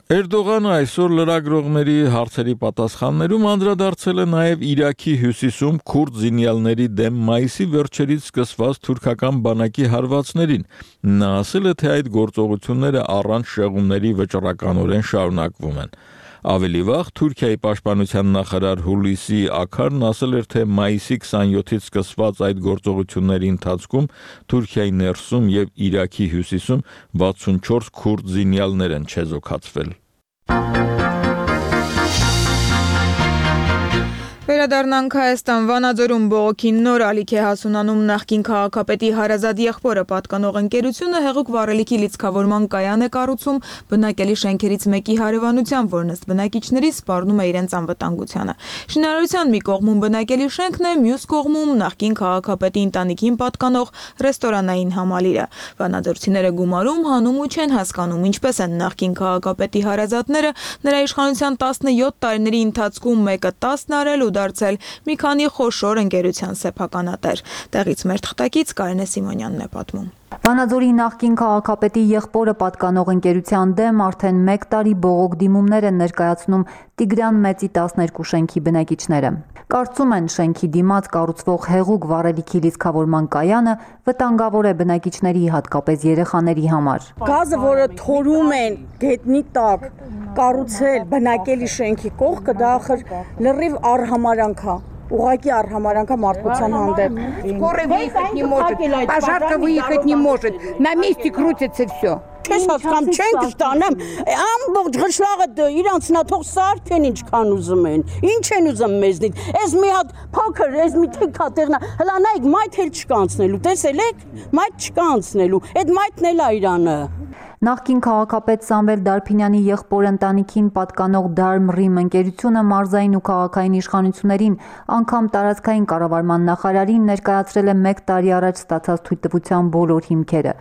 S: Էրդողանը այսօր լրագրողների հարցերի պատասխաններում անդրադարձել է նաև Իրաքի հյուսիսում քուրդ զինյալների դեմ մայիսի վերջերից սկսված թուրքական բանակի հարվածներին։ Նա ասել է, թե այդ գործողությունները առանց շեղումների վճռականորեն շարունակվում են։ Ավելի վաղ Թուրքիայի պաշտպանության նախարար Հուլիսի Աքարն ասել էր, թե մայիսի 27-ից սկսված այդ գործողությունների ընթացքում Թուրքիայի ներսում եւ Իրաքի հյուսիսում 64 քուրդ զինյալներ են չեզոքացվել։
A: Վերադառնանք Հայաստան, Վանաձորում բողոքին նոր ալիք է հասունանում նախկին քաղաքապետի հարազատ եղբորը պատկանող ընկերությունը հեղուկ վառելիքի լիցքավորման կայան է կառուցում բնակելի շենքերից մեկի հարևանությամբ, որն ըստ բնակիչների սպառնում է իրենց անվտանգությանը։ Շինարարության մի կողմում բնակելի շենքն է, մյուս կողմում նախկին քաղաքապետի ընտանիքին պատկանող ռեստորանային համալիրը։ Վանաձորցիները գումարում հանում ու չեն հասկանում, ինչպես են նախկին քաղաքապետի հարազատները նրա իշխանության 17 տարիների ընթացքում մեկը 10 արել ու դարձել մի քանի խոշոր ընկերության սեփականատեր։ Տեղից մեր թղթակից Կարինե Սիմոնյանն է պատմում։
B: Վանաձորի նախկին քաղաքապետի եղբորը պատկանող ընկերության դեմ արդեն 1 տարի բողոք դիմումներ են ներկայացնում Տիգրան Մեծի 12 շենքի բնակիչները։ Կարծում են, շենքի դիմաց կառուցվող հեղուկ վառելիքի լիցքավորման կայանը վտանգավոր է բնակիչների, հատկապես երեխաների համար։
C: Գազը, որը թորում են գետնի տակ, կառուցել բնակելի шենքի կողքը, դա ախր լրիվ արհամարանք է։ Угаки архамаранка մարդկության հանդեպ.
D: Скоро выехать не может, пожарка выехать не может, на месте крутится все.
C: Չես հասկանում, չենք ստանեմ, ամբողջ գշլաղը իրանց նա թող սարքեն ինչքան ուզում են, ինչ են ուզում մեզնից, ես մի հատ փոքր, ես մի թիքա տեղնա, հլա նայեք, մայթ էլ չկա անցնելու, տեսել եք, մայթ չկա անցնելու, այդ մայթն էլ է Իրանը։
B: Նախկին քաղաքապետ Սամվել Դարփինյանի եղբոր ընտանիքին պատկանող Դարմռիմ ընկերությունը մարզային ու քաղաքային իշխանություններին, անգամ տարածքային կառավարման նախարարին ներկայացրել է 1 տարի առաջ ստացած թույլտվության բոլոր հիմքերը։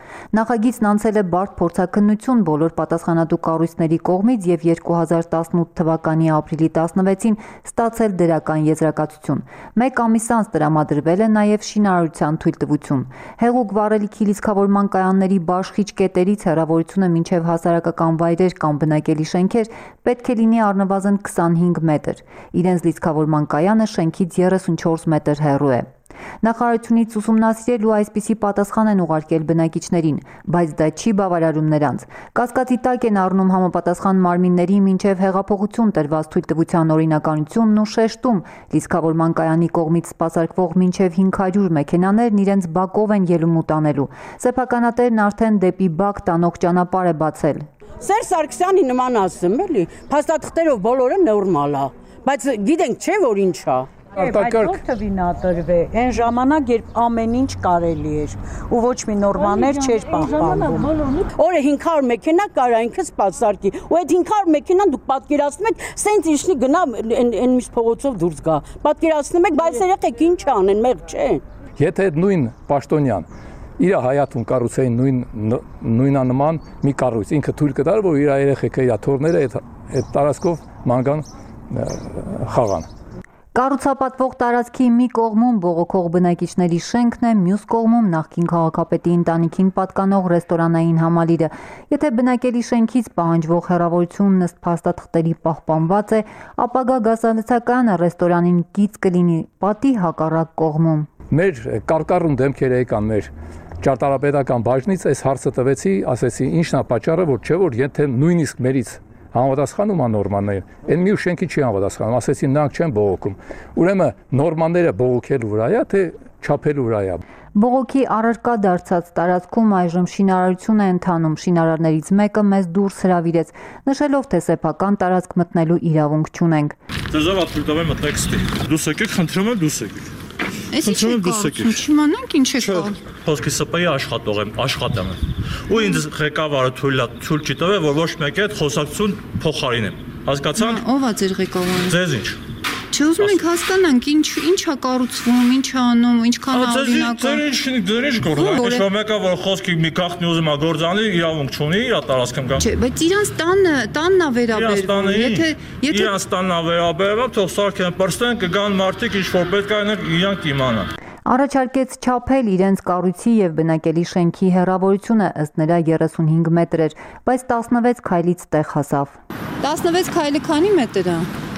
B: Նախագիծն անցել է բարդ փորձաքննություն բոլոր պատասխանատու կառույցների կողմից եւ 2018 թվականի ապրիլի 16-ին ստացել դրական եզրակացություն։ 1 ամիս անց տրամադրվել է նաեւ շինարարության թույլտվություն։ Հեղուկ վառելիքի լիցքավորման կայանների բաշխիչ կետերից հեռավոր մինչև հասարակական վայրեր կամ բնակելի շենքեր պետք է լինի առնվազն 25 մետր։ Իրենց լիցքավորման կայանը շենքից 34 մետր հեռու է։ Նախարարությունից ուսումնասիրել ու այսպիսի պատասխան են ուղարկել բնակիչներին, բայց դա չի բավարարում նրանց։ Կասկածի տակ են առնում համապատասխան մարմինների մինչև հեղափոխություն տրված թույլտվության օրինականությունն ու շեշտում լիցքավորման կայանի կողմից սպասարկվող մինչև 500 մեքենաներն իրենց բակով են ելում ու տանելու։ Սեփականատերն արդեն դեպի բակ տանող ճանապարհ է բացել։
C: Սերժ Սարգսյանի նման ասեմ, էլի, փաստաթղթերով բոլորը նորմալ է, բայց գիտենք չէ որ ինչ է։
D: Արտակարգ
C: թվինատրվե այն ժամանակ, երբ ամեն ինչ կարելի էր ու ոչ մի նորմաներ չէր պահպանվում։ Օրը 500 մեքենա կարա ինքը սպասարկի, ու այդ 500 մեքենան դուք պատկերացնում եք, սենց իշնի գնա այն միս փողոցով դուրս գա։ Պատկերացնում եք, բայց երեխեք ինչ անեն, մեղ չէ։
X: Եթե այդ նույն պաշտոնյան իր հայաթուն կառուցային նույնանման մի կառույց ինքը թույլ կտար, որ իր երեխեքը, իր թորները այդ տարածքով մանգան խաղան։
B: Կառուցապատվող տարածքի մի կողմում բողոքող բնակիչների շենքն է, մյուս կողմում նախկին քաղաքապետի ընտանիքին պատկանող ռեստորանային համալիրը։ Եթե բնակելի շենքից պահանջվող հեռավորությունն ըստ փաստաթղթերի պահպանված է, ապագա գազալցականը ռեստորանին կից կլինի պատի հակառակ կողմում։
X: Մեր կարկառուն դեմքերը եկան մեր ճարտարապետական բաժնից, այս հարցը տվեցի, ասեցի ինչն է պատճառը, որ չէ որ եթե նույնիսկ մերից համապատասխանում է նորմաները, այն մի շենքի չի համապատասխանում, ասեցին նրանք չեն բողոքում։ Ուրեմն նորմաները բողոքելու վրա է, թե չափելու վրա է։
B: Բողոքի առարկա դարձած տարածքում այժմ շինարարություն է ընթանում, շինարարներից մեկը մեզ դուրս հրավիրեց, նշելով, թե սեփական տարածք մտնելու իրավունք չունենք։
E: Ձեզով աթույլ տվեմ մտնեք ստի։ Դուս եկեք, խնդրում եմ դուս եկեք։
F: Չիմանանք ինչ է կան։
E: Խոսքի սպայի աշխատեմ։ Ու ինձ ղեկավարը թույլ չի տվել, որ ոչ մեկի հետ խոսակցություն փոխարինեմ։ Հասկացանք։
F: Ո՞վ է ձեր ղեկավարը։
E: Ձեզ ինչ։
F: Չուզում ենք հասկանանք ինչ է կառուցվում, ինչ է անում, ինչքան է օրինական։
E: Ձեր ինչ գործ։ Ինչ մեկը որ խոսքի մի գաղտնի ուզում է գործանի, իրավունք չունի, իր տարածքում գա։
F: Չէ, բայց իրանց տանն է վերաբերվում։ Եթե
E: իրանց տանն է վերաբերվում, թող սարքեն պրստեն, կգան մարդիկ, ինչ որ պետք է իրանք իմանան։
B: Առաջարկեց չափել իրենց կառույցի եւ բնակելի շենքի հեռավորությունը, ըստ նրա 35 մետր էր, բայց 16 քայլից տեղ հասավ։
F: 16 քայլը քանի մետր է։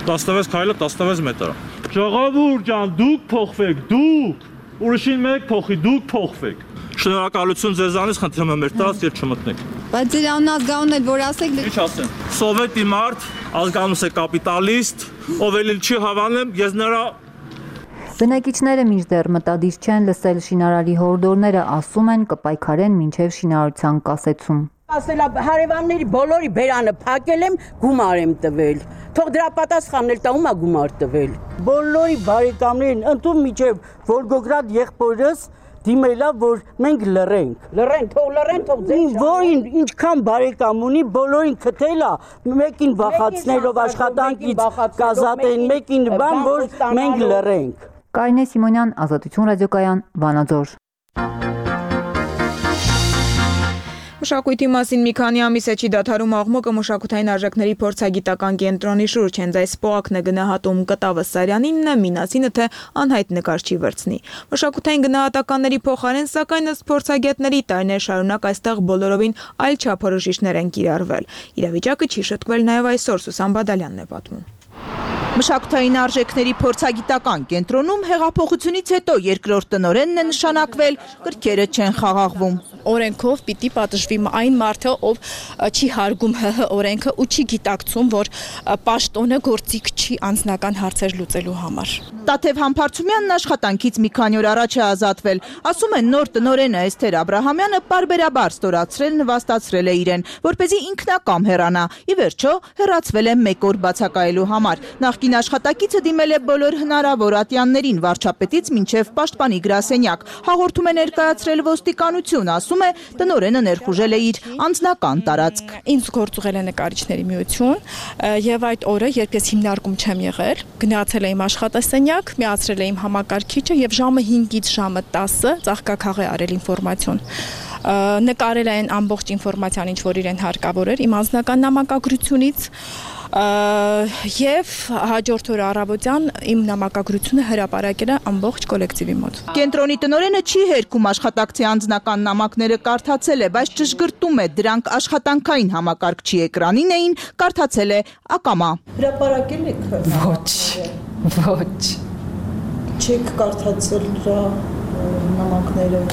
E: 16 քայլը 16 մետր է։ Ժողովուրդ ջան, դուք փոխվեք, դուք։ Ուրիշին մեկ փոխի, դուք փոխվեք։ Շնորհակալություն ձեզանից, խնդրում եմ մեր տարածք եւ չմտնեք։
F: Բայց ձեր անազգանուն է, որ ասեք։
E: Ինչ ասեմ։ Սովետի մարդ, ազգանունս է կապիտալիստ, ով էլ չի հավանում, ես նրա
B: Բնակիչները մինչդեռ մտադիր չեն լսել շինարարի հորդորները, ասում են կպայքարեն մինչև շինարարության կասեցում։
C: Ասելա հարևանների բոլորի բերանը փակել եմ, գումար եմ տվել։ Թող դրա պատասխանն էլ տա ում է գումար տվել։ Բոլորի բարեկամներին ընդում միջև Վոլգոգրադ եղբորս դիմելա, որ մենք լռենք։ Լռեն, թող ձեր որին ինչքան բարեկամ ունի, բոլորին քթելա, մեկին վախացնելով աշխատանքից կազատեն, մեկին բան, որ մենք լռենք։
B: Կարինե Սիմոնյան, Ազատություն ռադիոկայան, Վանաձոր։
A: Մշակույթի մասին մի քանի ամիս է չի դադարում աղմուկը մշակութային արժեքների փորձագիտական կենտրոնի շուրջ, հենց այս պոակն է գնահատում Կտավը Սարյանինը, Մինասինը, թե անհայտ նկարչի վերցնի։ Մշակութային գնահատականների փոխարեն, սակայն ըստ փորձագետների տարիներ շարունակ այստեղ բոլորովին այլ չափորոշիչներ են կիրառվել։ Իրավիճակը չի շտկվել նաև այսօր, Սուսան Բադալյանն է պատմում։
G: Մշակութային արժեքների փորձագիտական կենտրոնում հեղափոխությունից հետո երկրորդ տնօրենն է նշանակվել, կրքերը չեն խաղաղվում։
I: Օրենքով պիտի պատժվի այն մարդը, ով չի հարգում ՀՀ օրենքը ու չի գիտակցում, որ պաշտոնը գործիք չի անձնական հարցեր լուծելու համար։
G: Տաթև Համբարձումյանն աշխատանքից մի քանի օր առաջ է ազատվել։ Ասում են նոր տնօրենը Էսթեր Աբրահամյանը պարբերաբար ստորացրել, նվաստացրել է իրեն, որպեսզի ինքնակամ հեռանա։ Ի վերջո հեռացվել է մեկ օր բացակայելու համար։ Նախկին աշխատակիցը դիմել է բոլոր հնարավոր ատյաններին, վարչապետից մինչև պաշտպանի գրասենյակ։ Հաղորդում է ներկայացրել ոստիկանություն, ասում է տնօրենը ներխուժել է իր անձնական տարածք։
I: Ինձ գործուղել է նկարիչների միություն եւ այդ օրը, երբ ես հիմնարկում չեմ եղել, գնացել եմ աշխատասենյակ, միացրել եմ համակարգիչը եւ ժամը 5-ից ժամը 10-ը ծաղկաքաղ է արել ինֆորմացիոն։ Նկարել են ամբողջ ինֆորմացիան, ինչ որ իրեն հարկավոր էր իմ անձնական նամակագրությունից եւ հաջորդ օրը առավոտյան իմ նամակագրությունը հրապարակել է ամբողջ կոլեկտիվի մոտ։
G: Կենտրոնի տնօրենը չի հերքում աշխատակցի անձնական նամակները կարդացել է, բայց ճշգրտում է դրանք աշխատանքային համակարգչի էկրանին էին, կարդացել է ակամա։
I: Հրապարակել եք։
G: Ոչ։
I: Չեք կարդացել դրա նամակները։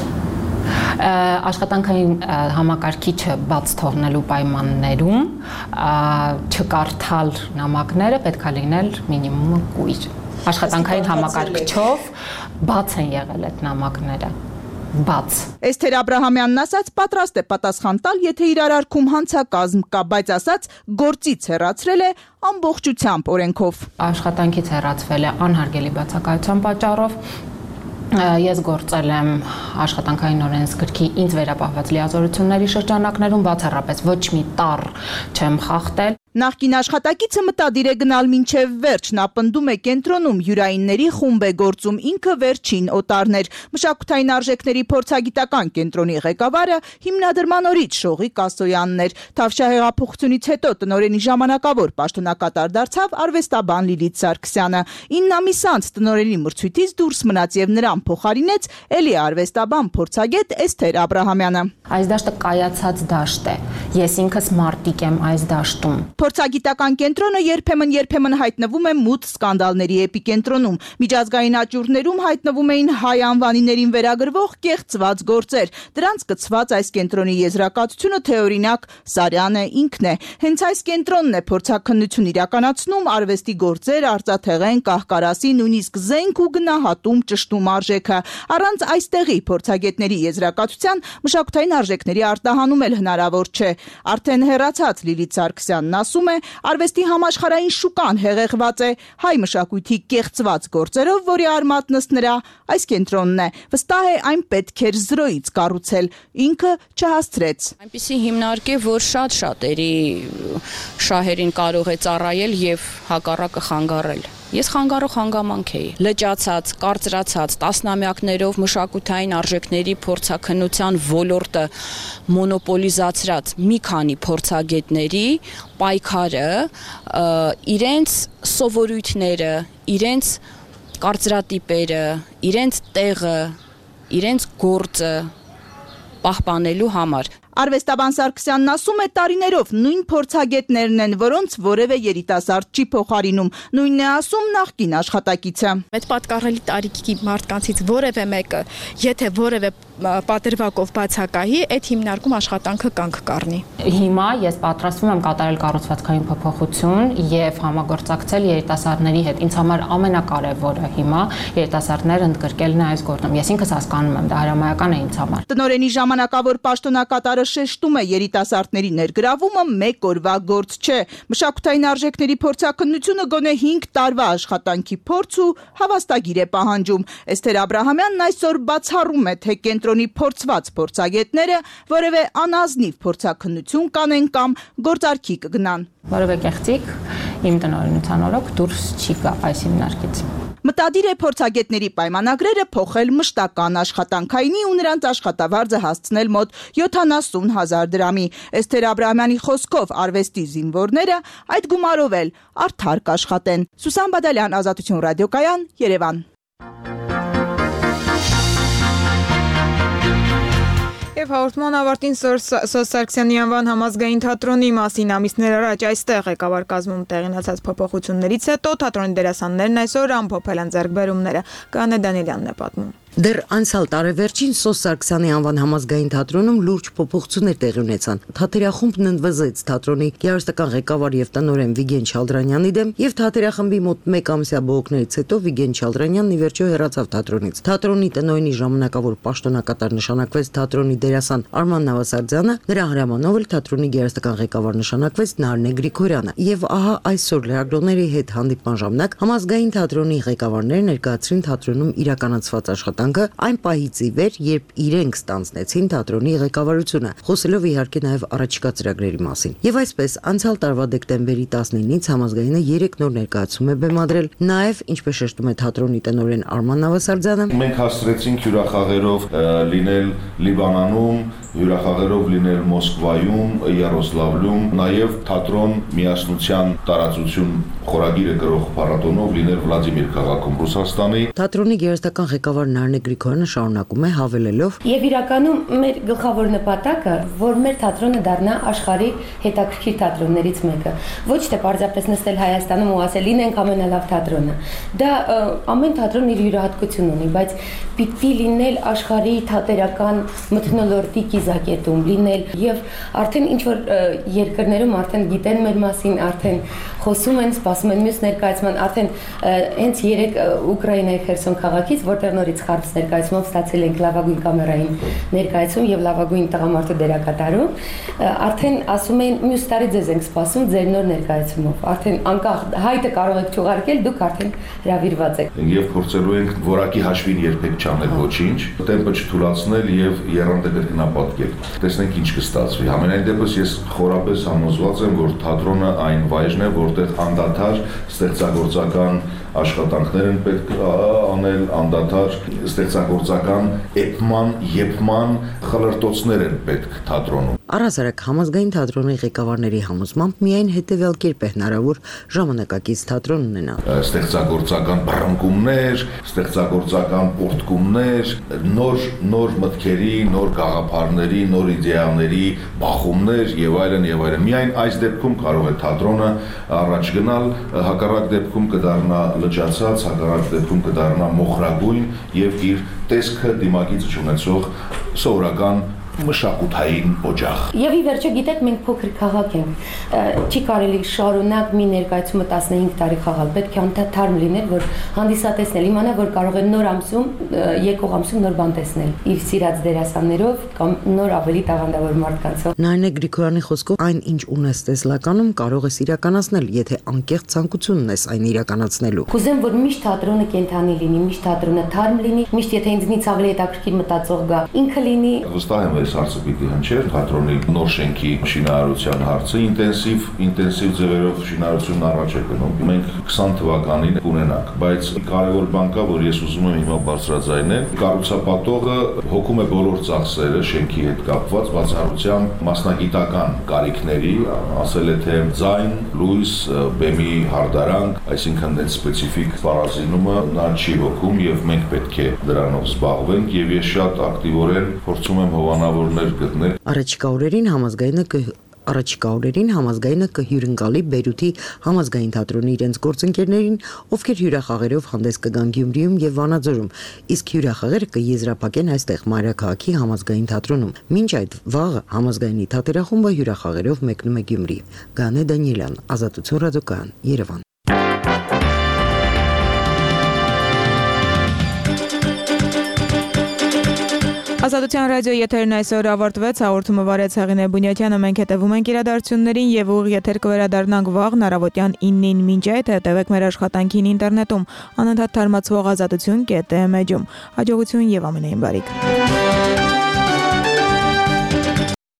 Y: Աշխատանքային համակարգիչը բաց թողնելու պայմաններում չկարդալ նամակները պետք է լինել մինիմումը կույր։ Աշխատանքային համակարգչով բաց են եղել այդ նամակները։ Բաց։
G: Էսթեր Աբրահամյանն ասաց պատրաստ է պատասխան տալ, եթե իր արարքում հանցակազմ կա, բայց ասաց գործից հեռացրել է ամբողջությամբ օրենքով։
Y: Աշխատանքից հեռացվել է անհարգելի բացակայության պատճառով։ Ես գործել եմ աշխատանքային օրենսգրքի ինձ վերապահված լիազորությունների շրջանակներում, բացառապես ոչ մի տառ չեմ խախտել։
G: Նախկին աշխատակիցը մտադիր է գնալ մինչև վերջ, նա պնդում է կենտրոնում հյուրայինների խումբ է գործում, ինքը վերջին օտարներ։ Մշակութային արժեքների փորձագիտական կենտրոնի ղեկավարը հիմնադրման օրից Շողիկ Ասոյանն էր։ Թավշյա հեղափոխությունից հետո տնօրենի ժամանակավոր պաշտոնակատար դարձավ արվեստաբան Լիլիթ Սարգսյանը։ 9 ամիս անց տնօրենի մրցույթից դուրս մնաց եւ նրան փոխարինեց էլի արվեստաբան փորձագետ Էսթեր Աբրահամյանը։
Y: Այս դաշտը կայացած դաշտ է։ Ես ինքս մարտիկ եմ այս դաշտում։
G: Փորձագիտական կենտրոնը երբեմն հայտնվում է մութ սկանդալների էպիկենտրոնում։ Միջազգային աճուրդներում հայտնվում էին հայ անվանիներին վերագրվող կեղծված գործեր։ Դրանց կցված այս կենտրոնի եզրակացությունը թե օրինակ Սարյանը ինքն է։ Հենց այս կենտրոնն է փորձաքննություն իրականացնում, արվեստի գործեր, արծաթեղեն, կահկարասի, նույնիսկ զենք ու գնահատում ճշտում արժեքը։ Առանց այստեղի փորձագետների եզրակացության մշակութային արժեքների արտահանում էլ հնարավոր չէ։ Արդեն հեռացած Լիլիթ Սարգսյանն ասում է, արվեստի համաշխարհային շուկան հեղեղված է հայ մշակույթի կեղծված գործերով, որի արմատն ըստ նրա այս կենտրոնն է։ Վստահ է, այն պետք էր զրոյից կառուցել, ինքը չհասցրեց։
J: Այնպիսի հիմնարկե, որ շատ շատերի շահերին կարող է ծառայել եւ հակառակը խանգարել։ Ես խանգարող հանգամանք էի։ Լճացած, կարծրացած, տասնամյակներով մշակութային արժեքների փորձաքննության ոլորտը մոնոպոլիզացրած մի քանի փորձագետների պայքարը իրենց սովորույթները, իրենց կարծրատիպերը, իրենց տեղը, իրենց գործը պահպանելու համար։
G: Արվեստաբան Սարգսյանն ասում է, տարիներով նույն փորձագետներն են, որոնց որևէ երիտասարդ չի փոխարինում։ Նույնն է ասում նախկին աշխատակիցը։
I: Այդ պատկառելի տարիքի մարդկանցից որևէ մեկը, եթե որևէ պատրվակով բացակայի, այդ հիմնարկում աշխատանքը կանգ կառնի։
Y: Հիմա ես պատրաստվում եմ կատարել կառուցվածքային փոփոխություն եւ համագործակցել երիտասարդների հետ։ Ինձ համար ամենակարևորը հիմա երիտասարդները ընդգրկելն է այս գործում։ Ես ինքս հասկանում եմ, դա հրամայական է ինձ համար։
G: Տնօրենի ժամանակավոր պաշտոնակատարը շեշտում է, երիտասարդների ներգրավումը մեկ օրվա գործ չէ։ Մշակութային արժեքների փորձաքննությունը գոնե 5 տարվա աշխատանքի փորձ ու հավաստագիր է պահանջում։ Էսթեր Աբրահամյանն այսօր բացառում է, թե կենտրոնի փորձված փորձագետները որևէ անազնիվ փորձաքննություն կանեն կամ գործարքի կգնան։
Y: Որևէ կեղծիք իմ տնօրենության օրոք դուրս չի գա այս հիմնարկից։
G: Մտադիր է փորձագետների պայմանագրերը փոխել մշտական աշխատանքայինի ու նրանց աշխատավարձը հասցնել մոտ 70,000 դրամի։ Էսթեր Աբրահամյանի խոսքով արվեստի զինվորները այդ գումարով էլ արդար կաշխատեն։ Սուսան Բադալյան, Ազատություն ռադիոկայան, Երևան։
A: Եվ հաղորդման ավարտին Սոս Սարգսյանի անվան համազգային թատրոնի մասին ամիսներ առաջ այստեղ ղեկավար կազմում տեղի ունեցած փոփոխություններից հետո թատրոնի դերասաններն այսօր ամփոփել են ձեռքբերումները։ Կանե Դանիելյանն է պատմում։
K: Դեռ անցյալ տարեվերջին Սոս Սարգսյանի անվան համազգային թատրոնում լուրջ փոփոխություններ տեղի ունեցան։ Թատերախումբն ընդվզեց թատրոնի գեղարվեստական ղեկավար եւ տնօրեն Վիգեն Չալդրանյանի դեմ եւ թատերախմբի մոտ 1 ամսյա բողոքներից հետո Վիգեն Չալդրանյանն ի վերջո հեռացավ թատրոնից։ Թատրոնի տնօրենի ժամանակավոր պաշտոնակատար նշանակվեց թատրոնի դերասան Արման Նավասարդյանը, նրա հրամանով էլ թատրոնի գեղարվեստական ղեկավար նշանակվեց Նարնե Գրիգորյանը։ Եվ ահա այսօր լրագրողների հետ հանդիպման ժամանակ համազգային թատրոնի ղեկավարները ներկայացրին թատրոնում իրականացված աշխատանքը այն պահից ի վեր, երբ իրենք ստանձնեցին թատրոնի ղեկավարությունը, խոսելով իհարկե նաև առաջիկա ծրագրերի մասին։ Եվ այսպես անցյալ տարվա դեկտեմբերի 19-ից համազգայինը 3 նոր ներկայացում է բեմադրել, նաև ինչպես շեշտում է թատրոնի տնօրեն Արման Նավասարդյանը,
L: մենք հասցրեցինք հյուրախաղերով լինել Լիբանանում, հյուրախաղերով լինել Մոսկվայում, Յարոսլավլում, նաև թատրոն միասնության տարածություն խորագիրը գրող փառատոնով լինել Վլադիմիր քաղաքում Ռուսաստանի։
K: Թատրոնի գեղարվեստական ղեկավար Նարնե Գրիգորյանը շարունակում է հավելելով.
N: Եվ իրականում մեր գլխավոր նպատակը, որ մեր թատրոնը դառնա աշխարհի հետաքրքիր թատրոններից մեկը, ոչ թե պարզապես նստել Հայաստանում ու ասել լինենք ամենալավ թատրոնը։ Դա ամեն թատրոն իր յուրահատկություն ունի, բայց պիտի լինել աշխարհի թատերական մթնոլորտի կիզակետում լինել եւ արդեն ինչ որ երկրներում արդեն գիտեն մեր մասին, արդեն խոսում են, սպասում են մյուս ներկայացման, արդեն հենց 3 Ուկրաինայի Խերսոն քաղաքից, որտեղ նորից խարտ բարձ ներկայացումով ստացել ենք լավագույն կամերային ներկայացում եւ լավագույն տղամարդու դերակատարում, արդեն ասում են մյուս տարի ձեզ ենք սպասում ձեր նոր ներկայացումով։ Արդեն անկախ հայտը կարող եք չուղարկել, դուք արդեն հրավիրված եք։
L: Եվ փորձելու ենք որակի հաշվին երբեք չանել ոչինչ, տեմպը չթուլացնել եւ եռանդը կրկնապատկել։ Տեսնենք ինչ կստացվի։ Համենայն դեպս ես խորապես համոզված եմ, որ թատրոնը այն վայրն է, որտեղ անդադար ստեղծագործական աշխատանքներ են պետք անել, անդադար ստեղծագործական էպման, եփման խլրտոցներ են պետք թատրոնում։
K: Առհասարակ համազգային թատրոնի ղեկավարների համոզմամբ միայն հետևյալ կերպ է հնարավոր ժամանակակից թատրոն ունենալ։
L: Ստեղծագործական բռնկումներ, ստեղծագործական պորտկումներ, նոր մտքերի, նոր գաղափարների, նոր իդեաների բախումներ եւ այլն եւ այլն։ Միայն այս դեպքում կարող է թատրոնը առաջ գնալ, հակառակ դեպքում կդառնա լճացած, հակառակ դեպքում կդառնա մոխրագույն եւ իր տեսքը դիմակից չունեցող սովորական մշակութային օջախ։
N: Եվ ի վերջո գիտեք մենք փոքր քաղաք ենք, չի կարելի շարունակ մի ներկայացումը 15 տարի խաղալ, պետք է անդադար լինել, որ հանդիսատեսն իմանա, որ կարող է նոր ամսում, եկող ամսում նոր բան տեսնել, իր սիրած դերասաններով կամ նոր ավելի տաղանդավոր մարդկանցով։
K: Նարինե Գրիգորյանի խոսքով այն ինչ ունես տեսլականում կարող ես իրականացնել, եթե անկեղծ ցանկություն ունես այն իրականացնելու։
N: Կուզեմ, որ միշտ թատրոնը կենթանի լինի, միշտ թատրոնը թարմ լինի, միշտ եթե ինձնից ավելի հետաքրքիր մտածող գա, ինքը լինի։
L: Վստահ եմ, այս հարցը պիտի հնչեր, թատրոնի նոր շենքի շինարարության հարցը ինտենսիվ ձևերով շինարարությունն առաջ է գնում։ Մենք 20 թվականին կունենանք, բայց կարևոր բան կա, որ ես ուզում եմ հիմա բարձրաձայնել, կառուցապատողը հոգում է բոլոր ծախսերը շենքի հետ կապված բացառությամբ մասնագիտական կարիքների, ասել է թե ձայն, լույս, բեմի հարդարանք, այսինքն այդ սպეციფიկ պարազինումը նա չի հոգում եւ մենք պետք է դրանով զբաղվենք եւ ես շատ ակտիվորեն փորձում եմ հովանավորներ գտնել։
K: Առաջիկա օրերին համազգայինը կհյուրընկալի Բեյրութի համազգային թատրոնի իրենց գործընկերներին, ովքեր հյուրախաղերով հանդես կգան Գյումրիում եւ Վանաձորում, իսկ հյուրախաղերը կեզրափակեն այստեղ Մայրաքաղաքի համազգային թատրոնում։ Մինչ այդ վաղը համազգայինի թատերախումբը հյուրախաղերով մեկնում է Գյումրի։ Գանե Դանիելյան, Ազատություն ռադիոկայան, Երևան։
A: Ազատության ռադիոյի եթերն այսօր ավարտվեց, հաղորդումը վարեց Հեղինե Բունյատյանը, մենք հետևում ենք իրադարձություններին եւ ուղիղ եթեր կվերադառնանք վաղ առավոտյան 9-ին, մինչ այդ հետևեք մեր աշխատանքին ինտերնետում, անընդհատ թարմացվող ազատություն.am էջում։ Հաջողություն եւ ամենայն բարիք։